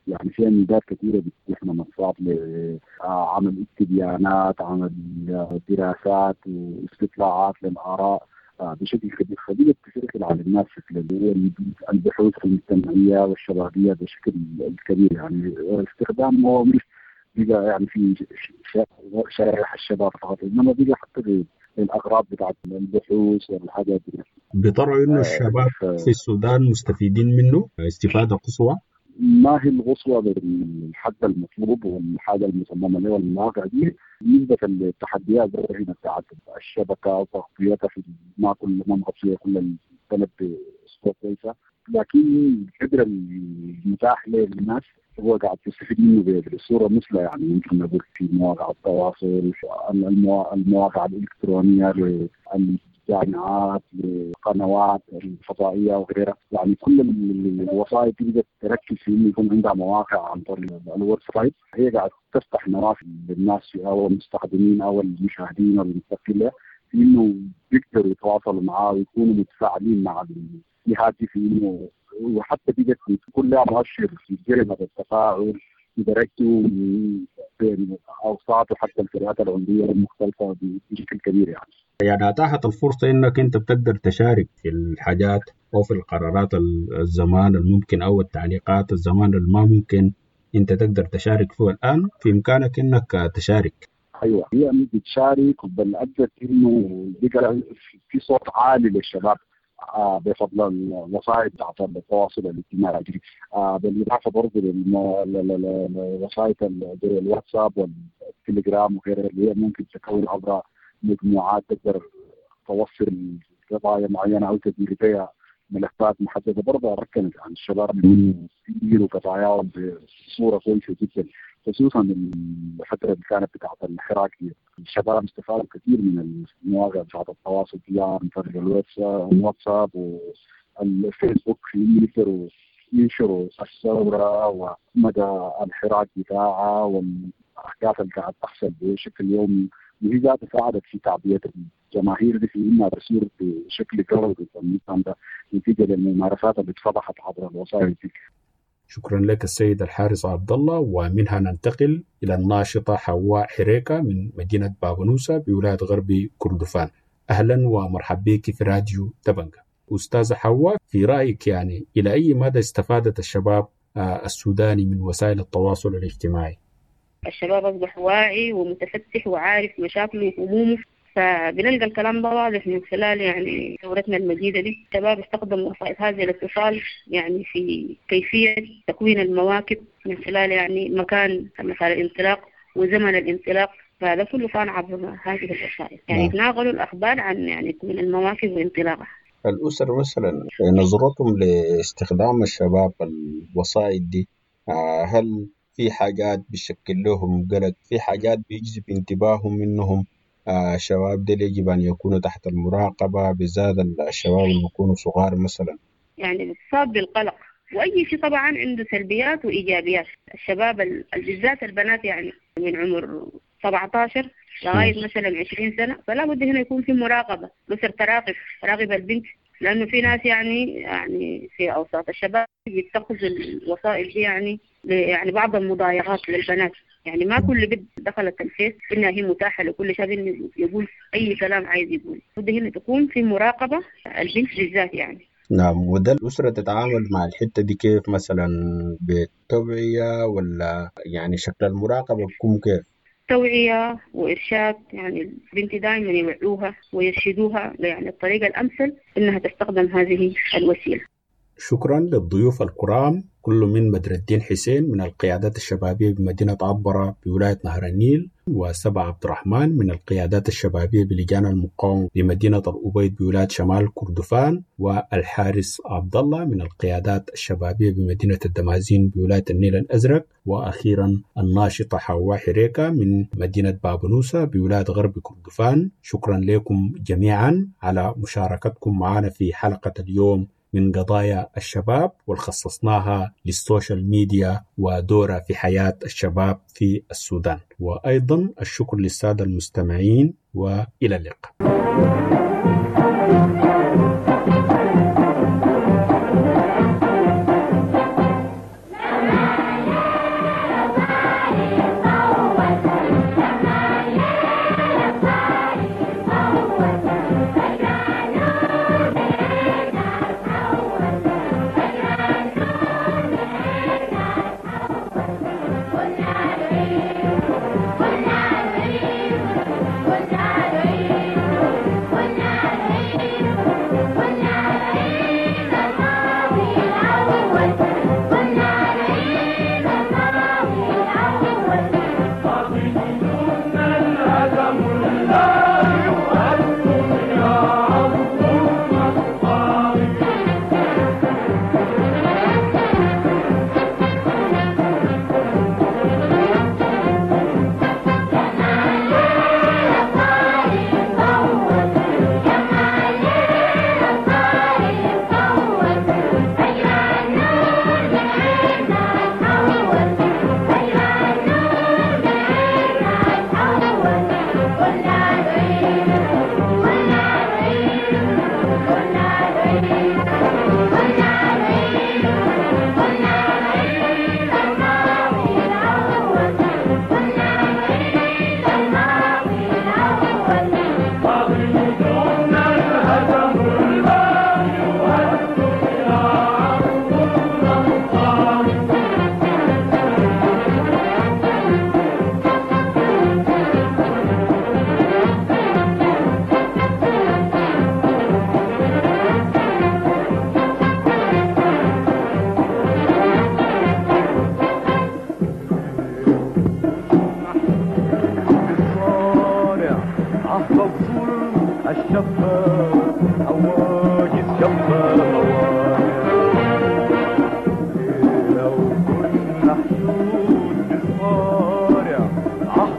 يعني فيها ميزات كثيرة بتتيح منصات لعمل استبيانات، عمل دراسات واستطلاعات للآراء بشكل كبير. فبقت تشكل على الناس شكل البحوث المجتمعية والشبابية بشكل كبير. يعني استخدام هو مش بقى يعني في شرائح الشباب فقط، إنما بقى حتى الأغراض بتاعت البحوث والحاجات دي. بترى إنه الشباب في السودان مستفيدين منه استفادة قصوى؟ ما هي القصوى بالحد المطلوب والحاجة المصممة له والمواقع دي بالنسبة للتحديات هنا بتاعت الشبكة وتغطيتها في ما كل ما مغطية كل البلد بصورة كويسة، لكن القدر المتاح للناس هو قاعد تستفيد منه بصورة مثلى. يعني يمكن نقول في مواقع التواصل، المواقع الإلكترونية للجامعات، للقنوات الفضائية وغيرها. يعني كل الوسائل تقدر تركز في إنه يكون عندها مواقع عن طريق ال website، هي قاعد تفتح نوافذ للناس أو المستخدمين أو المشاهدين أو المستقبلين في إنه يقدروا يتواصلوا معاه ويكونوا متفاعلين مع الجهات دي في إنه وحتى بقت بتكون لها مؤشر في جريمة التفاعل بدرجته بين اوساط وحتى الفئات العمرية المختلفة بشكل كبير يعني. يعني اتاحت الفرصة انك انت بتقدر تشارك في الحاجات او في القرارات الزمان الممكن او التعليقات الزمان اللي ما ممكن انت تقدر تشارك فيه، الان في امكانك انك تشارك. ايوه، هي بتشارك، بل ادت انه بقى في صوت عالي للشباب بفضل الوسائل بتاعت التواصل الاجتماعي، بالاضافة برضه للوسائل زي الواتساب والتليجرام وغيرها اللي هي ممكن تكون عبر مجموعات تقدر توصل قضايا معينة او تدير بها ملفات محددة. برضه ركنت عن الشباب من يديروا قضاياهم بصورة كويسة جدا، خصوصا الفترة اللي كانت بتاعت الحراك دي. الشباب استفادوا كثير من المواقع بتاعت التواصل دي عن طريق الواتساب والفيسبوك، في يقدروا ينشروا الثورة ومدى الحراك بتاعها والاحداث اللي قاعد تحصل بشكل يومي، وهي ذاتها ساعدت في تعبئة الجماهير دي في انها تسير بشكل قوي ضد النظام ده نتيجة للممارسات اللي اتفضحت عبر الوسائل دي. شكرا لك السيد الحارس عبد الله. ومنها ننتقل إلى الناشطة حواء حريكة من مدينة بابنوسة بولاية غرب كردفان. أهلا ومرحبا بك في راديو دبنجة. أستاذة حواء، في رأيك يعني إلى أي مدى استفادت الشباب السوداني من وسائل التواصل الاجتماعي؟ الشباب أصبح واعي ومتفتح وعارف مشاكله وهمومه، فبنلقى الكلام ده واضح من خلال يعني ثورتنا المجيدة دي. الشباب استخدموا وسائل هذا الاتصال يعني في كيفية تكوين المواكب من خلال يعني مكان مثلا الانطلاق وزمن الانطلاق، فهذا كله كان عبر هذه الوسائل يعني. يتناقلوا الأخبار عن يعني تكوين المواكب وانطلاقها. الأسر مثلا نظرتهم لاستخدام الشباب الوسائل دي، هل في حاجات بيشكل لهم قلق، في حاجات بيجذب انتباههم منهم الشباب دي يجب أن يكونوا تحت المراقبة، بالذات الشباب اللي بيكونوا صغار مثلا؟ يعني بتصاب بالقلق، وأي شيء طبعا عنده سلبيات وإيجابيات. الشباب بالذات البنات يعني من عمر 17 لغاية مثلا 20 سنة، فلا بد هنا يكون في مراقبة، الأسر تراقب البنت، لأنه في ناس يعني في أوساط الشباب بيتخذوا الوسائل دي يعني بعض المضايقات للبنات. يعني ما كل بنت دخلت الفيس إنها هي متاحة لكل شاب إنه يقول أي كلام عايز يقول. بد هنا تكون في مراقبة البنت بالذات يعني. نعم، وده الأسرة تتعامل مع الحتة دي كيف مثلا؟ بالتوعية ولا يعني شكل المراقبة بيكون كيف؟ توعية وإرشاد، يعني البنت دائما يوعوها ويرشدوها يعني الطريقة الأمثل إنها تستخدم هذه الوسيلة. شكرا للضيوف الكرام، كل من بدر الدين حسين من القيادات الشبابية بمدينة عبرة بولاية نهر النيل، وسبع عبد الرحمن من القيادات الشبابية بلجان المقاومة بمدينة الأبيض بولاية شمال كردفان، والحارس عبد الله من القيادات الشبابية بمدينة الدمازين بولاية النيل الأزرق، وأخيرا الناشطة حواء حريكة من مدينة بابنوسة بولاية غرب كردفان. شكرا لكم جميعا على مشاركتكم معنا في حلقة اليوم من قضايا الشباب، والخصصناها للسوشيال ميديا ودورها في حياة الشباب في السودان. وأيضا الشكر للسادة المستمعين، وإلى اللقاء. كنا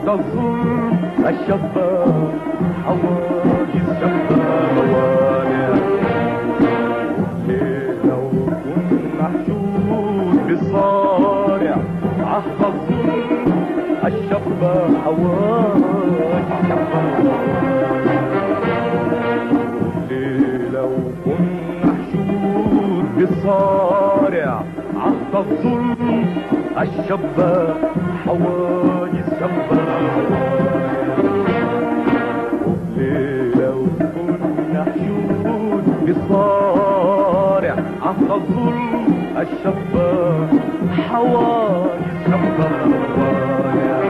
عهد الظلم الشابة حواجز شابة موانع. لو كنا حشود بالصارع عهد الظلم الشابة حواجز شابة موانع. لو كنا حشود بالصارع عهد الظلم الشابة حواجز شابة موانع. لو كنا حشود بالصارع عهد الظلم الشابة حواجز شابة موانع.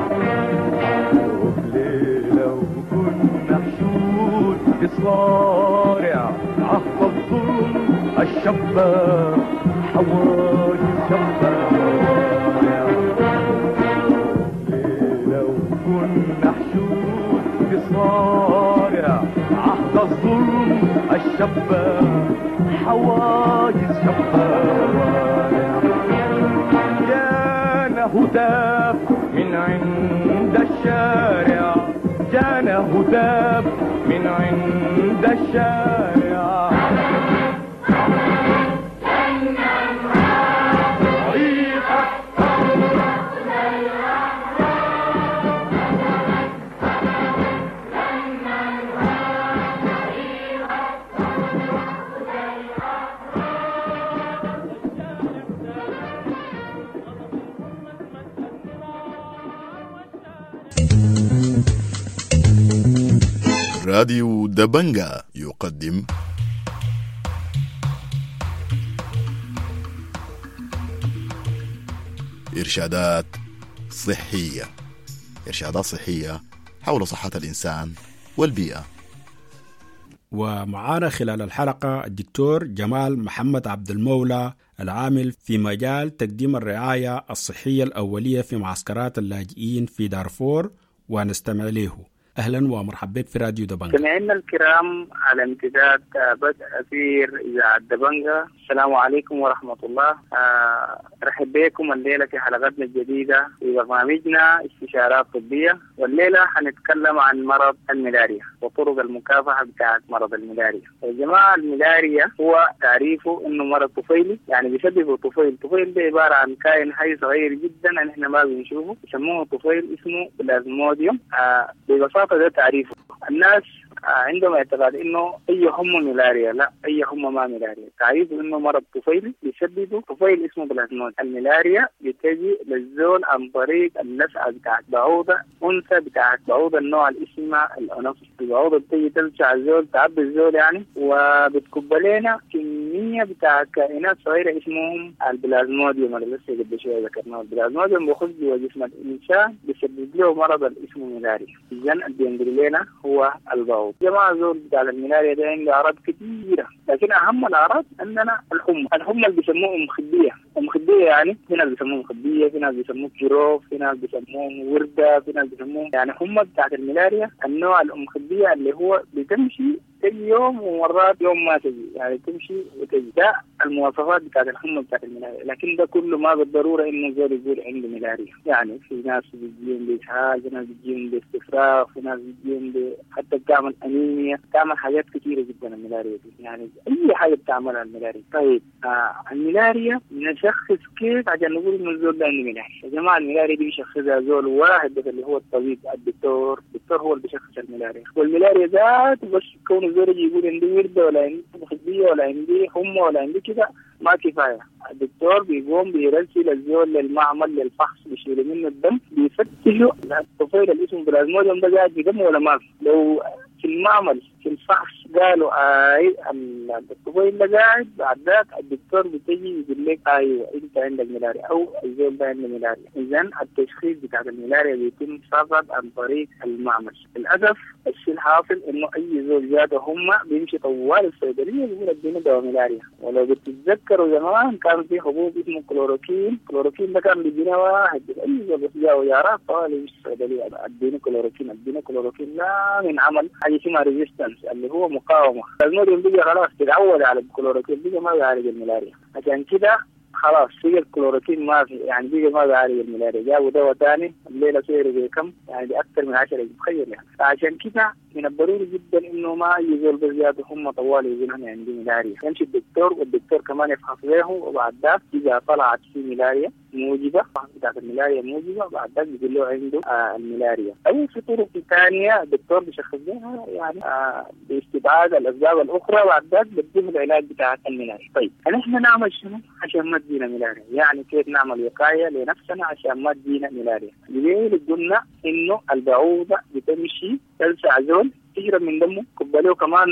لو كنا حشود بالصارع عهد الظلم الشابة حواجز شابة موانع. لو كنا حشود بصارع عهد الظلم الشابة حواجز شابة موانع. جانا هتاف من عند الشارع، جانا هتاف من عند الشارع. راديو دبنجا يقدم إرشادات صحية. إرشادات صحية حول صحة الإنسان والبيئة. ومعانا خلال الحلقة الدكتور جمال محمد عبد المولى العامل في مجال تقديم الرعاية الصحية الأولية في معسكرات اللاجئين في دارفور، ونستمع له. أهلا ومرحبا بك في راديو دبنجا. مستمعينا الكرام على امتداد بدء أثير إذاعة دبنجا، السلام عليكم ورحمة الله. أرحب بكم الليلة في حلقتنا الجديدة في برنامجنا استشارات طبية، والليلة حنتكلم عن مرض الملاريا وطرق المكافحة بتاعة مرض الملاريا. يا جماعة الملاريا هو تعريفه إنه مرض طفيلي، يعني بيسببه طفيل. طفيل ده عبارة عن كائن حي صغير جدا نحن ما بنشوفه، يسموه طفيل، اسمه بلازموديوم. ببساطة ده تعريفه. الناس عندهم اعتقاد انه اي حمى ملاريا، لا، اي حمى ما ملاريا. تعريفه انه مرض طفيلي بيسببه طفيل اسمه بلازمود. الملاريا بتجي للزول عن طريق اللسعه بتاعت بعوضة انثى بتاعت بعوضة النوع اللي اسمها الانوفيس. البعوضة بتجي تلسع الزول، تعبي الزول يعني، وبتكب لنا كمية بتاعت كائنات صغيرة اسمهم البلازموديوم اللي لسه قبل شوية ذكرناه. البلازموديوم بيخش جوا جسم الانسان بيسبب له مرض اللي اسمه ملاريا. اذا اللي بينقل لنا هو البعوض. جماعة زول بتاع الملاريا ده عنده أعراض كثيرة، لكن أهم الأعراض عندنا الحمى. الحمى اللي بيسموه أم خدية. أم خدية يعني في ناس بيسموه خدية، في ناس بيسموه جروف، في ناس بيسموه وردة، في ناس بيسموه يعني حمى بتاعت الملاريا النوع الأم خدية اللي هو بتمشي تجي يوم ومرات يوم ما تجي، يعني تمشي وتجي. ده المواصفات بتاعت الحمى بتاعت الملاريا، لكن ده كله ما بالضرورة انه زول يقول عنده ملاريا. يعني في ناس بتجيهم باسهال، في ناس بتجيهم باستفراغ، في ناس بتجيهم حتى بتعمل انيميا، بتعمل حاجات كثيرة جدا الملاريا دي، يعني اي حاجة بتعملها الملاريا. طيب الملاريا نشخص كيف عشان نقول انه الزول ده عنده ملاريا؟ يا جماعة الملاريا دي بيشخصها زول واحد بس اللي هو الطبيب الدكتور. الدكتور هو اللي بيشخص الملاريا، والملاريا ذاته بس كون الزول يجي يقول عندي ورده ولا عندي خديه ولا عندي حمى ولا عندي كده ما كفاية. الدكتور بيقوم بيرسل الزول للمعمل للفحص، بيشيلوا منه الدم، بيفتشوا الطفيل اللي اسمه بلازموديوم ده قاعد في دمه ولا ما في. لو في المعمل في الفحص قالوا اي الطفيل ده قاعد، بعد ذاك الدكتور بتجي يقول لك ايوه انت عندك ملاريا او الزول ده عنده ملاريا. اذا التشخيص بتاع الملاريا بيتم فقط عن طريق المعمل. للاسف الشيء الحاصل انه اي زول جاته هم بيمشي طوال الصيدلية بيقول اديني دواء ملاريا. ولو بتتذكروا زمان كان في حبوب اسمه كلوروكين، كلوروكين ده كان بيدينا واحد اي زول بس جاءه يارات طوال يمشي الصيدلية اديني كلوروكين اديني كلوروكين، لا من عمل حاجة اسمها resistance اللي هو مقاومة. الموديوم بقى خلاص تتعود على الكلوروكين، بقى ما بيعالج الملاريا. عشان كده خلاص بقى الكلوروكين ما في، يعني بقى ما بيعالج الملاريا، جابوا دواء ثاني الليلة سعره بكم؟ يعني باكثر من 10 جنيه، تخيل يعني. فعشان كده من الضروري جدا انه ما اي زول بزيادة هم طوال يقول انا عندي ملاريا، يمشي الدكتور والدكتور كمان يفحص له، وبعد ذاك اذا طلعت في ملاريا موجبه، بتاعت الملاريا موجبه، بعد ذاك بيقول له عنده الملاريا. او في طرق ثانية الدكتور بيشخص بها يعني باستبعاد الاسباب الاخرى، بعد ذاك بديه العلاج بتاع الملاريا. طيب نحن نعمل شنو عشان ما تجينا ملاريا؟ يعني كيف نعمل وقاية لنفسنا عشان ما تجينا ملاريا؟ ليه قلنا انه البعوضة بتمشي تلسع زول، تشرب من دمه، كب له كمان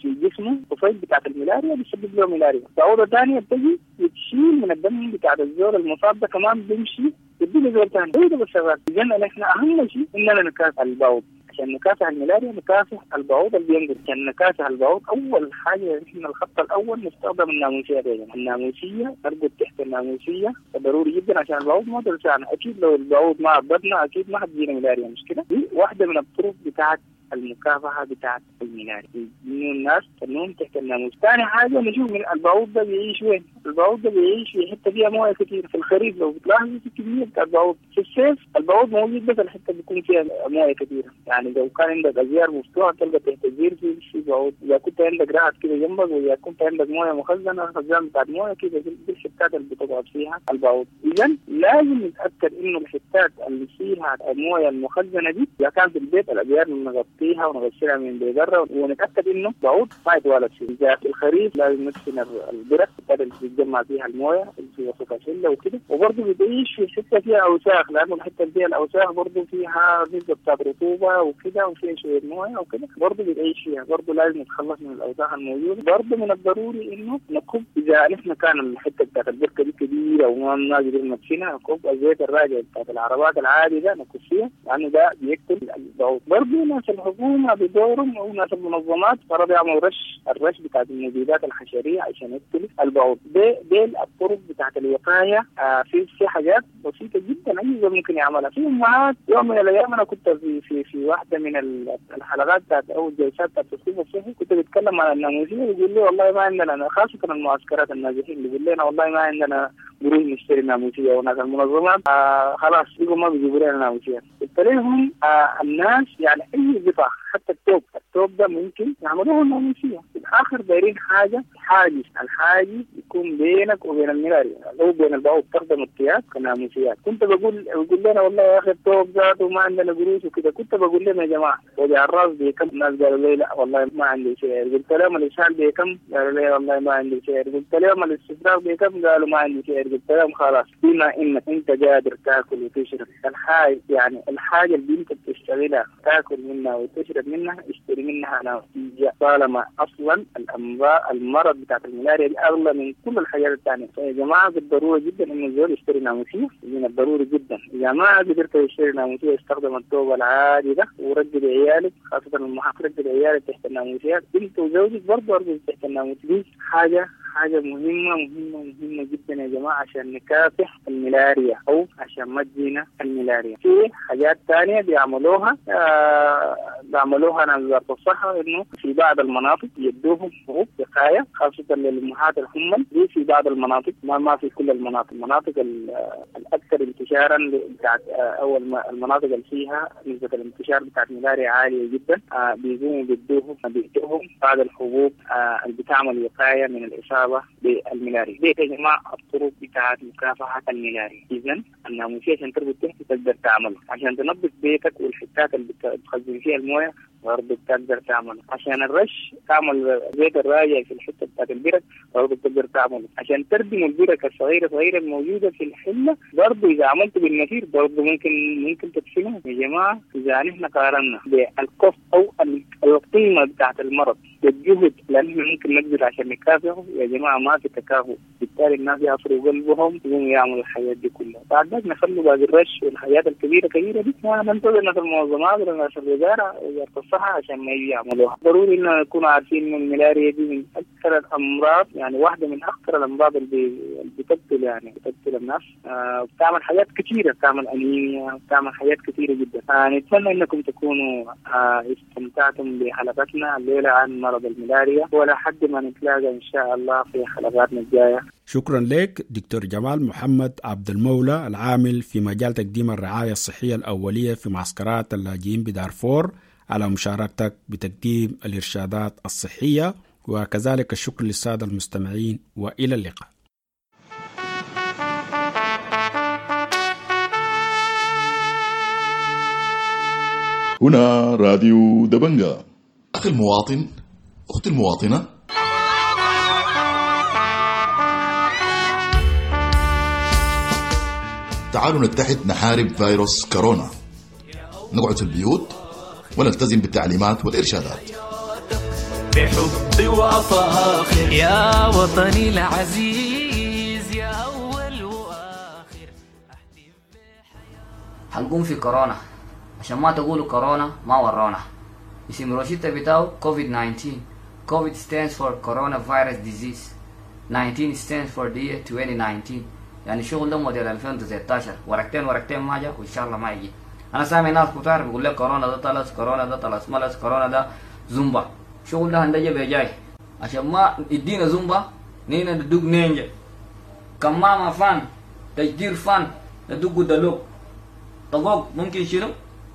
في جسمه طفيل بتاعت الملاريا، بيسبب له ملاريا. بعوضة ثانية بتجي بتشيل من الدم بتاعت الزول المصاب ده، كمان بيمشي يدي زول ثاني. ده بس شغال. اذا نحن اهم شيء اننا نكافح البعوض. عشان نكافح الملاريا نكافح البعوض اللي بينقل. عشان نكافح البعوض اول حاجة نحن الخط الاول نستخدم الناموسيه. يا الناموسيه، نرقد تحت الناموسيه ضروري جدا عشان البعوض ما تلسعنا. اكيد لو البعوض ما عضتنا اكيد ما حتجينا ملاريا، مش كده؟ دي واحدة من الطرق بتاعت المكافحه بتاعت الملاريا، انه الناس تنوم تحت الناموس. ثاني حاجة نشوف من البعوض ده بيعيش وين؟ البعوض ده بيعيش في حتة فيها مويه كثير. في الخريف لو بتلاحظوا في كمية بتاع البعوض، في الصيف البعوض موجود بس الحتة بيكون فيها مويه كثيرة، يعني لو كان عندك ازيار مفتوحة تلقى تحت الزير في بعوض، اذا كنت عندك رعد كده جنبك، واذا كنت عندك مويه مخزنة، خزان بتاع مويه كده، دي الحتات اللي بتقعد فيها البعوض. اذا لازم نتاكد انه الحتات اللي فيها المويه المخزنه دي اذا كان في البيت الابيار نغطيها ونغسلها من برا، ونتاكد انه بعوض ما يتوالد فيه. اذا في الخريف لازم ندفن البرك اللي بيتجمع فيها المويه اللي في وسط الحلة وكده، وبرضه بتعيش في حتة فيها اوساخ، لانه الحتة اللي فيها الاوساخ برضه فيها نسبه بتاعت رطوبة وكده، وفيها شوية مويه وكده، برضه بتعيش فيها، برضه لازم نتخلص من الاوساخ الموجودة. برضه من الضروري انه نكب اذا نحن كان الحتة بتاعت البركة دي كبيرة وما قدرنا ندفنها، نكب الزيت الراجع بتاعت العربات العادي ده نكب فيها، لانه ده بيقتل البعوض. برضه ناس الحكومة بدورهم او ناس المنظمات فرض يعملوا رش، الرش بتاعت المبيدات الحشريه عشان يقتل البعوض. دي الطرق بتاعت الوقاية. في حاجات بسيطة جدا اي زول ممكن يعملها. في امهات يوم من الايام انا كنت في في في واحدة من الحلقات بتاعت او الجلسات بتاعت التثقيف الصحي، كنت بتكلم عن الناموسيه، بيقول لي والله ما عندنا، خاصة المعسكرات النازحين، بيقول لنا والله ما عندنا قروش نشتري ناموسيه، وناس المنظمات خلاص بيقوا ما بيجيبوا لنا ناموسيه. قلت لهم الناس يعني اي قطع حتى التوب ده ممكن يعملوه ناموسيه. في الاخر دايرين حاجة حاجز، الحاجز يكون بينك وبين الملاريا او بين البعوض، تخدم الثياب كناموسيات. كنت بقول لنا والله يا اخي التوب ذاته ما عندنا قروش وكده، كنت بقول لهم يا جماعة وجع الراس بكم؟ الناس قالوا لي لا والله ما عندي سعر. قلت لهم الاسهال بكم؟ قالوا لي والله ما عندي سعر. قلت لهم الاستفراغ بكم؟ قالوا ما عندي سعر. قلت لهم خلاص بما انك انت قادر تاكل وتشرب الحاجة، يعني الحاجة اللي انت بتشتغلها تاكل منها وتشرب منها، اشتري منها ناموسيه، طالما اصلا الامراض المرض بتاعت الملاريا دي اغلى من كل الحاجات الثانية. فيا جماعة بالضرورة جدا انه الزول يشتري ناموسيه، من الضروري جدا. اذا ما قدرت تشتري ناموسيه استخدم الثوب العادي ده، ورجل عيالك، خاصة المحافظ، رجل عيالك تحت الناموسيات، انت وزوجك برضه ارجل تحت الناموسيه. دي حاجة مهمة مهمة مهمة جدا يا جماعة عشان نكافح الملاريا أو عشان ما تجينا الملاريا. في حاجات ثانية بيعملوها ناس وزارة الصحة، إنه في بعض المناطق يدوهم حبوب وقاية خاصة للأمهات الحمل، دي في بعض المناطق، ما في كل المناطق، المناطق الأكثر انتشارا بتاعت أو المناطق اللي فيها نسبة الانتشار بتاعت الملاريا عالية جدا، بيقوموا بيدوهم بعض الحبوب اللي بتعمل وقاية من الإصابة بالملاريا. دي يا جماعة الطرق بتاعت مكافحة الملاريا. إذا الناموسية عشان تربط تحت تقدر تعمله، عشان تنظف بيتك والحتات اللي بتخزن فيها الموية برضه بتقدر تعمله، عشان الرش تعمل زيت الراجع في الحتة بتاعت البرك برضه بتقدر تعمله، عشان تردم البرك الصغيرة صغيرة الموجودة في الحلة برضه إذا عملته بالنفير برضه ممكن تدفنه. يا جماعة إذا نحن قارنا بالكوست أو القيمة بتاعت المرض بالجهد لأنه ممكن نبذل عشان نكافحه، يا جماعة ما في تكافؤ، بالتالي الناس يعصروا قلبهم يقوموا يعملوا الحاجات دي كلها. بعد ذلك نخلوا باقي الرش والحاجات الكبيرة كبيرة دي ما ننتظر ناس المنظمات ولا ناس الوزارة وزارة الصحة عشان ما يجي يعملوها. ضروري إنه نكون عارفين إنه الملاريا دي من أكثر الأمراض، يعني واحدة من أخطر الأمراض اللي بتقتل، يعني بتقتل الناس، بتعمل حاجات كثيرة، بتعمل أنيميا، بتعمل حاجات كثيرة جدا. نتمنى إنكم تكونوا استمتعتم بحلقتنا الليلة عن مرض الملاريا، ولا حد ما نتلاقى إن شاء الله في حلقاتنا الجاية. شكرا لك دكتور جمال محمد عبد المولى العامل في مجال تقديم الرعاية الصحية الأولية في معسكرات اللاجئين بدارفور على مشاركتك بتقديم الإرشادات الصحية، وكذلك الشكر للسادة المستمعين، وإلى اللقاء. هنا راديو دبنجا. أخي المواطن، أختي المواطنة، تعالوا نتحد نحارب فيروس كورونا، نقعد في البيوت ونلتزم بالتعليمات والإرشادات. بحب وفاخر يا وطني العزيز يا أول وآخر. حنقوم في كورونا عشان ما تقولوا كورونا ما ورونا. اسم روشيتا بتاعه كوفيد 19. كوفيد stands for coronavirus disease، 19 stands for the year 2019. يعني الشغل ده موديل 2019، ورقتين ورقتين ما جا وان شاء الله ما يجي. انا سامع ناس كتار بيقول لك كورونا ده طلس، كورونا ده طلس ملس، كورونا ده زومبا. شغل ده هندجة بجاي عشان ما يدينا زومبا نينا ندق نينجا كمامة فان تجدير فان ندق دلوك طقوق ممكن شنو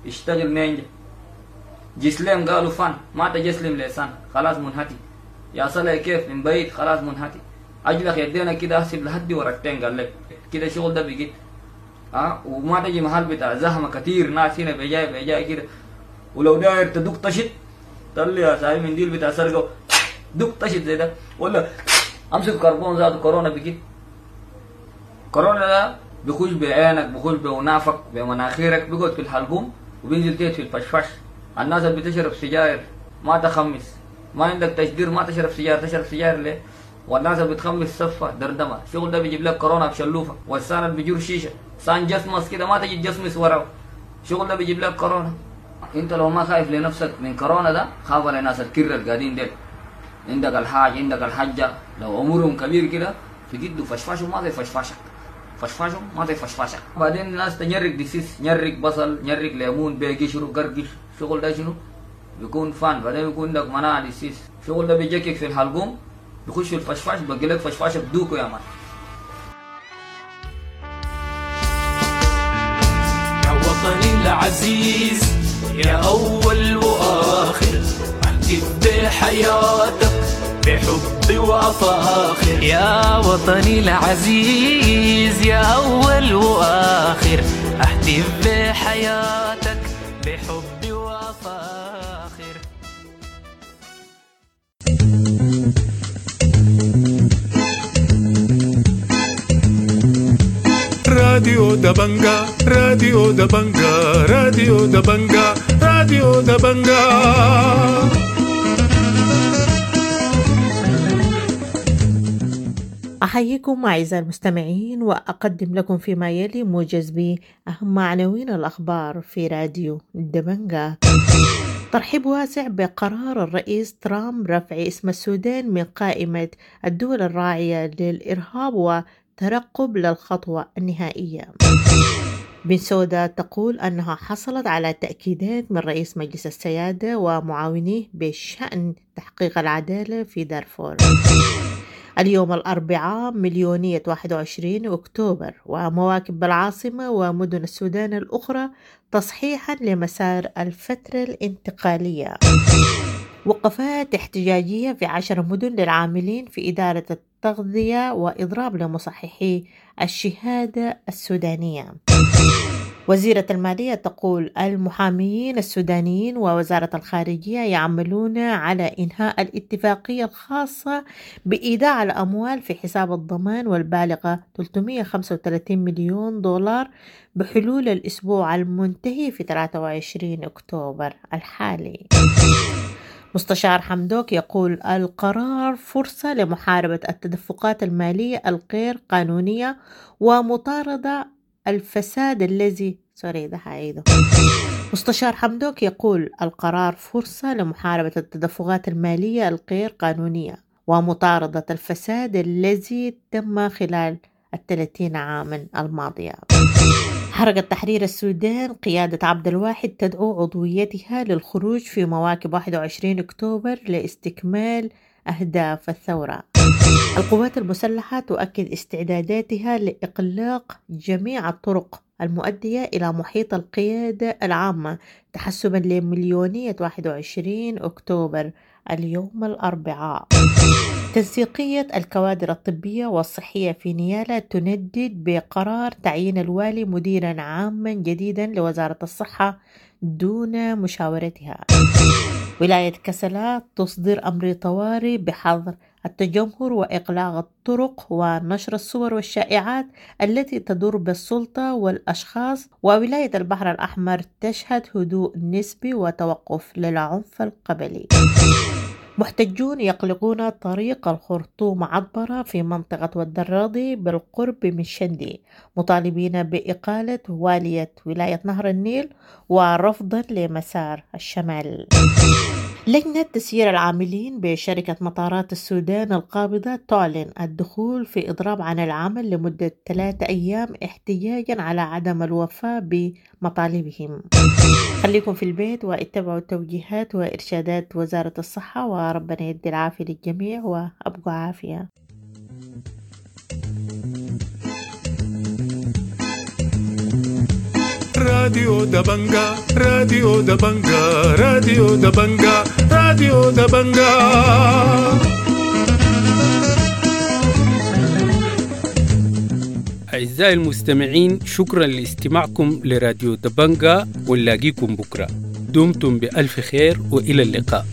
يشتغل نينجا. جسلم قالوا فان ما تجسلم لسان خلاص منهتي يا صلاة كيف من بعيد خلاص منهتي اجلك يدينا كده احسب لحد ورقتين قال لك كده شغل ده بيجي وما تجي محل بتاع زحمه كتير ناس هنا بيجاي بيجاي كده. ولو داير تدق طشت طلع يا صاحبي منديل بتاع سرقه دق طشت زي ده ولا امسك كربون ذاته كورونا بيجي. كورونا ده بيخش بعينك بيخش بونافك بمناخيرك بيقعد في الحلقوم وبينزل تيت في الفشفش. الناس اللي بتشرب سجاير ما تخمس، ما عندك تشدير ما تشرب سجاير، تشرب سجاير ليه؟ والناس اللي بتخمس صفة دردمة الشغل ده بيجيب لك كورونا بشلوفة. والسان اللي بيجور شيشة سان جسمس كده ما تجي جسمس وراه الشغل ده بيجيب لك كورونا. انت لو ما خايف لنفسك من كورونا ده خاف على ناس الكرة القاعدين ديل. عندك الحاج عندك الحجة لو عمرهم كبير كده في جده فشفاشهم ما زي فشفاشك، فشفاشهم ما زي فشفاشك. بعدين الناس تنيرك دسيس، نيرك بصل، نيرك ليمون بقشره قرقش الشغل ده شنو بيكون فان. بعدين بيكون عندك مناعة دسيس الشغل ده بيجيك في الحلقوم بيخش في الفشفاش بقي لك فشفاشه بدوكو يا مان. يا وطني العزيز يا أول وآخر أحتف بحياتك بحب وأفاخر. يا وطني العزيز يا أول وآخر أحتف بحياتك بحب وأفاخر. راديو دبنجا، راديو دبنجا، راديو دبنجا، راديو دبنجا. أحييكم أعزائي المستمعين وأقدم لكم فيما يلي موجز بأهم عناوين الأخبار في راديو دبنجا. ترحيب واسع بقرار الرئيس ترامب رفع اسم السودان من قائمة الدول الراعية للإرهاب وترقب للخطوة النهائية. بن سودا تقول أنها حصلت على تأكيدات من رئيس مجلس السيادة ومعاونيه بشأن تحقيق العدالة في دارفور. اليوم الأربعاء مليونية 21 أكتوبر ومواكب بالعاصمة ومدن السودان الأخرى تصحيحا لمسار الفترة الانتقالية. وقفات احتجاجية في 10 مدن للعاملين في إدارة التغذية وإضراب لمصححي الشهادة السودانية. وزيرة المالية تقول المحاميين السودانيين ووزارة الخارجية يعملون على إنهاء الاتفاقية الخاصة بإيداع الأموال في حساب الضمان والبالغة 335 مليون دولار بحلول الأسبوع المنتهي في 23 أكتوبر الحالي. مستشار حمدوك يقول القرار فرصة لمحاربة التدفقات المالية الغير قانونية ومطاردة الفساد الذي مستشار حمدوك يقول القرار فرصة لمحاربة التدفقات المالية الغير قانونية ومطاردة الفساد الذي تم خلال 30 عاما الماضية. حركة تحرير السودان قيادة عبد الواحد تدعو عضويتها للخروج في مواكب 21 أكتوبر لاستكمال أهداف الثورة. القوات المسلحة تؤكد استعداداتها لإغلاق جميع الطرق المؤدية إلى محيط القيادة العامة تحسبا لمليونية 21 أكتوبر اليوم الأربعاء. تنسيقية الكوادر الطبية والصحية في نيالا تندد بقرار تعيين الوالي مديرا عاما جديدا لوزارة الصحة دون مشاورتها. ولاية كسلا تصدر أمر طوارئ بحظر التجمهر وإغلاق الطرق ونشر الصور والشائعات التي تضر بالسلطة والأشخاص. وولاية البحر الأحمر تشهد هدوء نسبي وتوقف للعنف القبلي. محتجون يقلقون طريق الخرطوم عطبرة في منطقة والدراضي بالقرب من شندي مطالبين بإقالة والية ولاية نهر النيل ورفضا لمسار الشمال. لجنة تسيير العاملين بشركة مطارات السودان القابضة تعلن الدخول في إضراب عن العمل لمدة 3 أيام احتجاجا على عدم الوفاء بمطالبهم. خليكم في البيت واتبعوا توجيهات وإرشادات وزارة الصحة، وربنا يدي العافية للجميع وأبقوا عافية. راديو دبنجا، راديو دبنجا، راديو دبنجا، راديو دبنجا. أعزائي المستمعين، شكرا لاستماعكم لراديو دبنجا، ونلاقيكم بكرة. دمتم بألف خير وإلى اللقاء.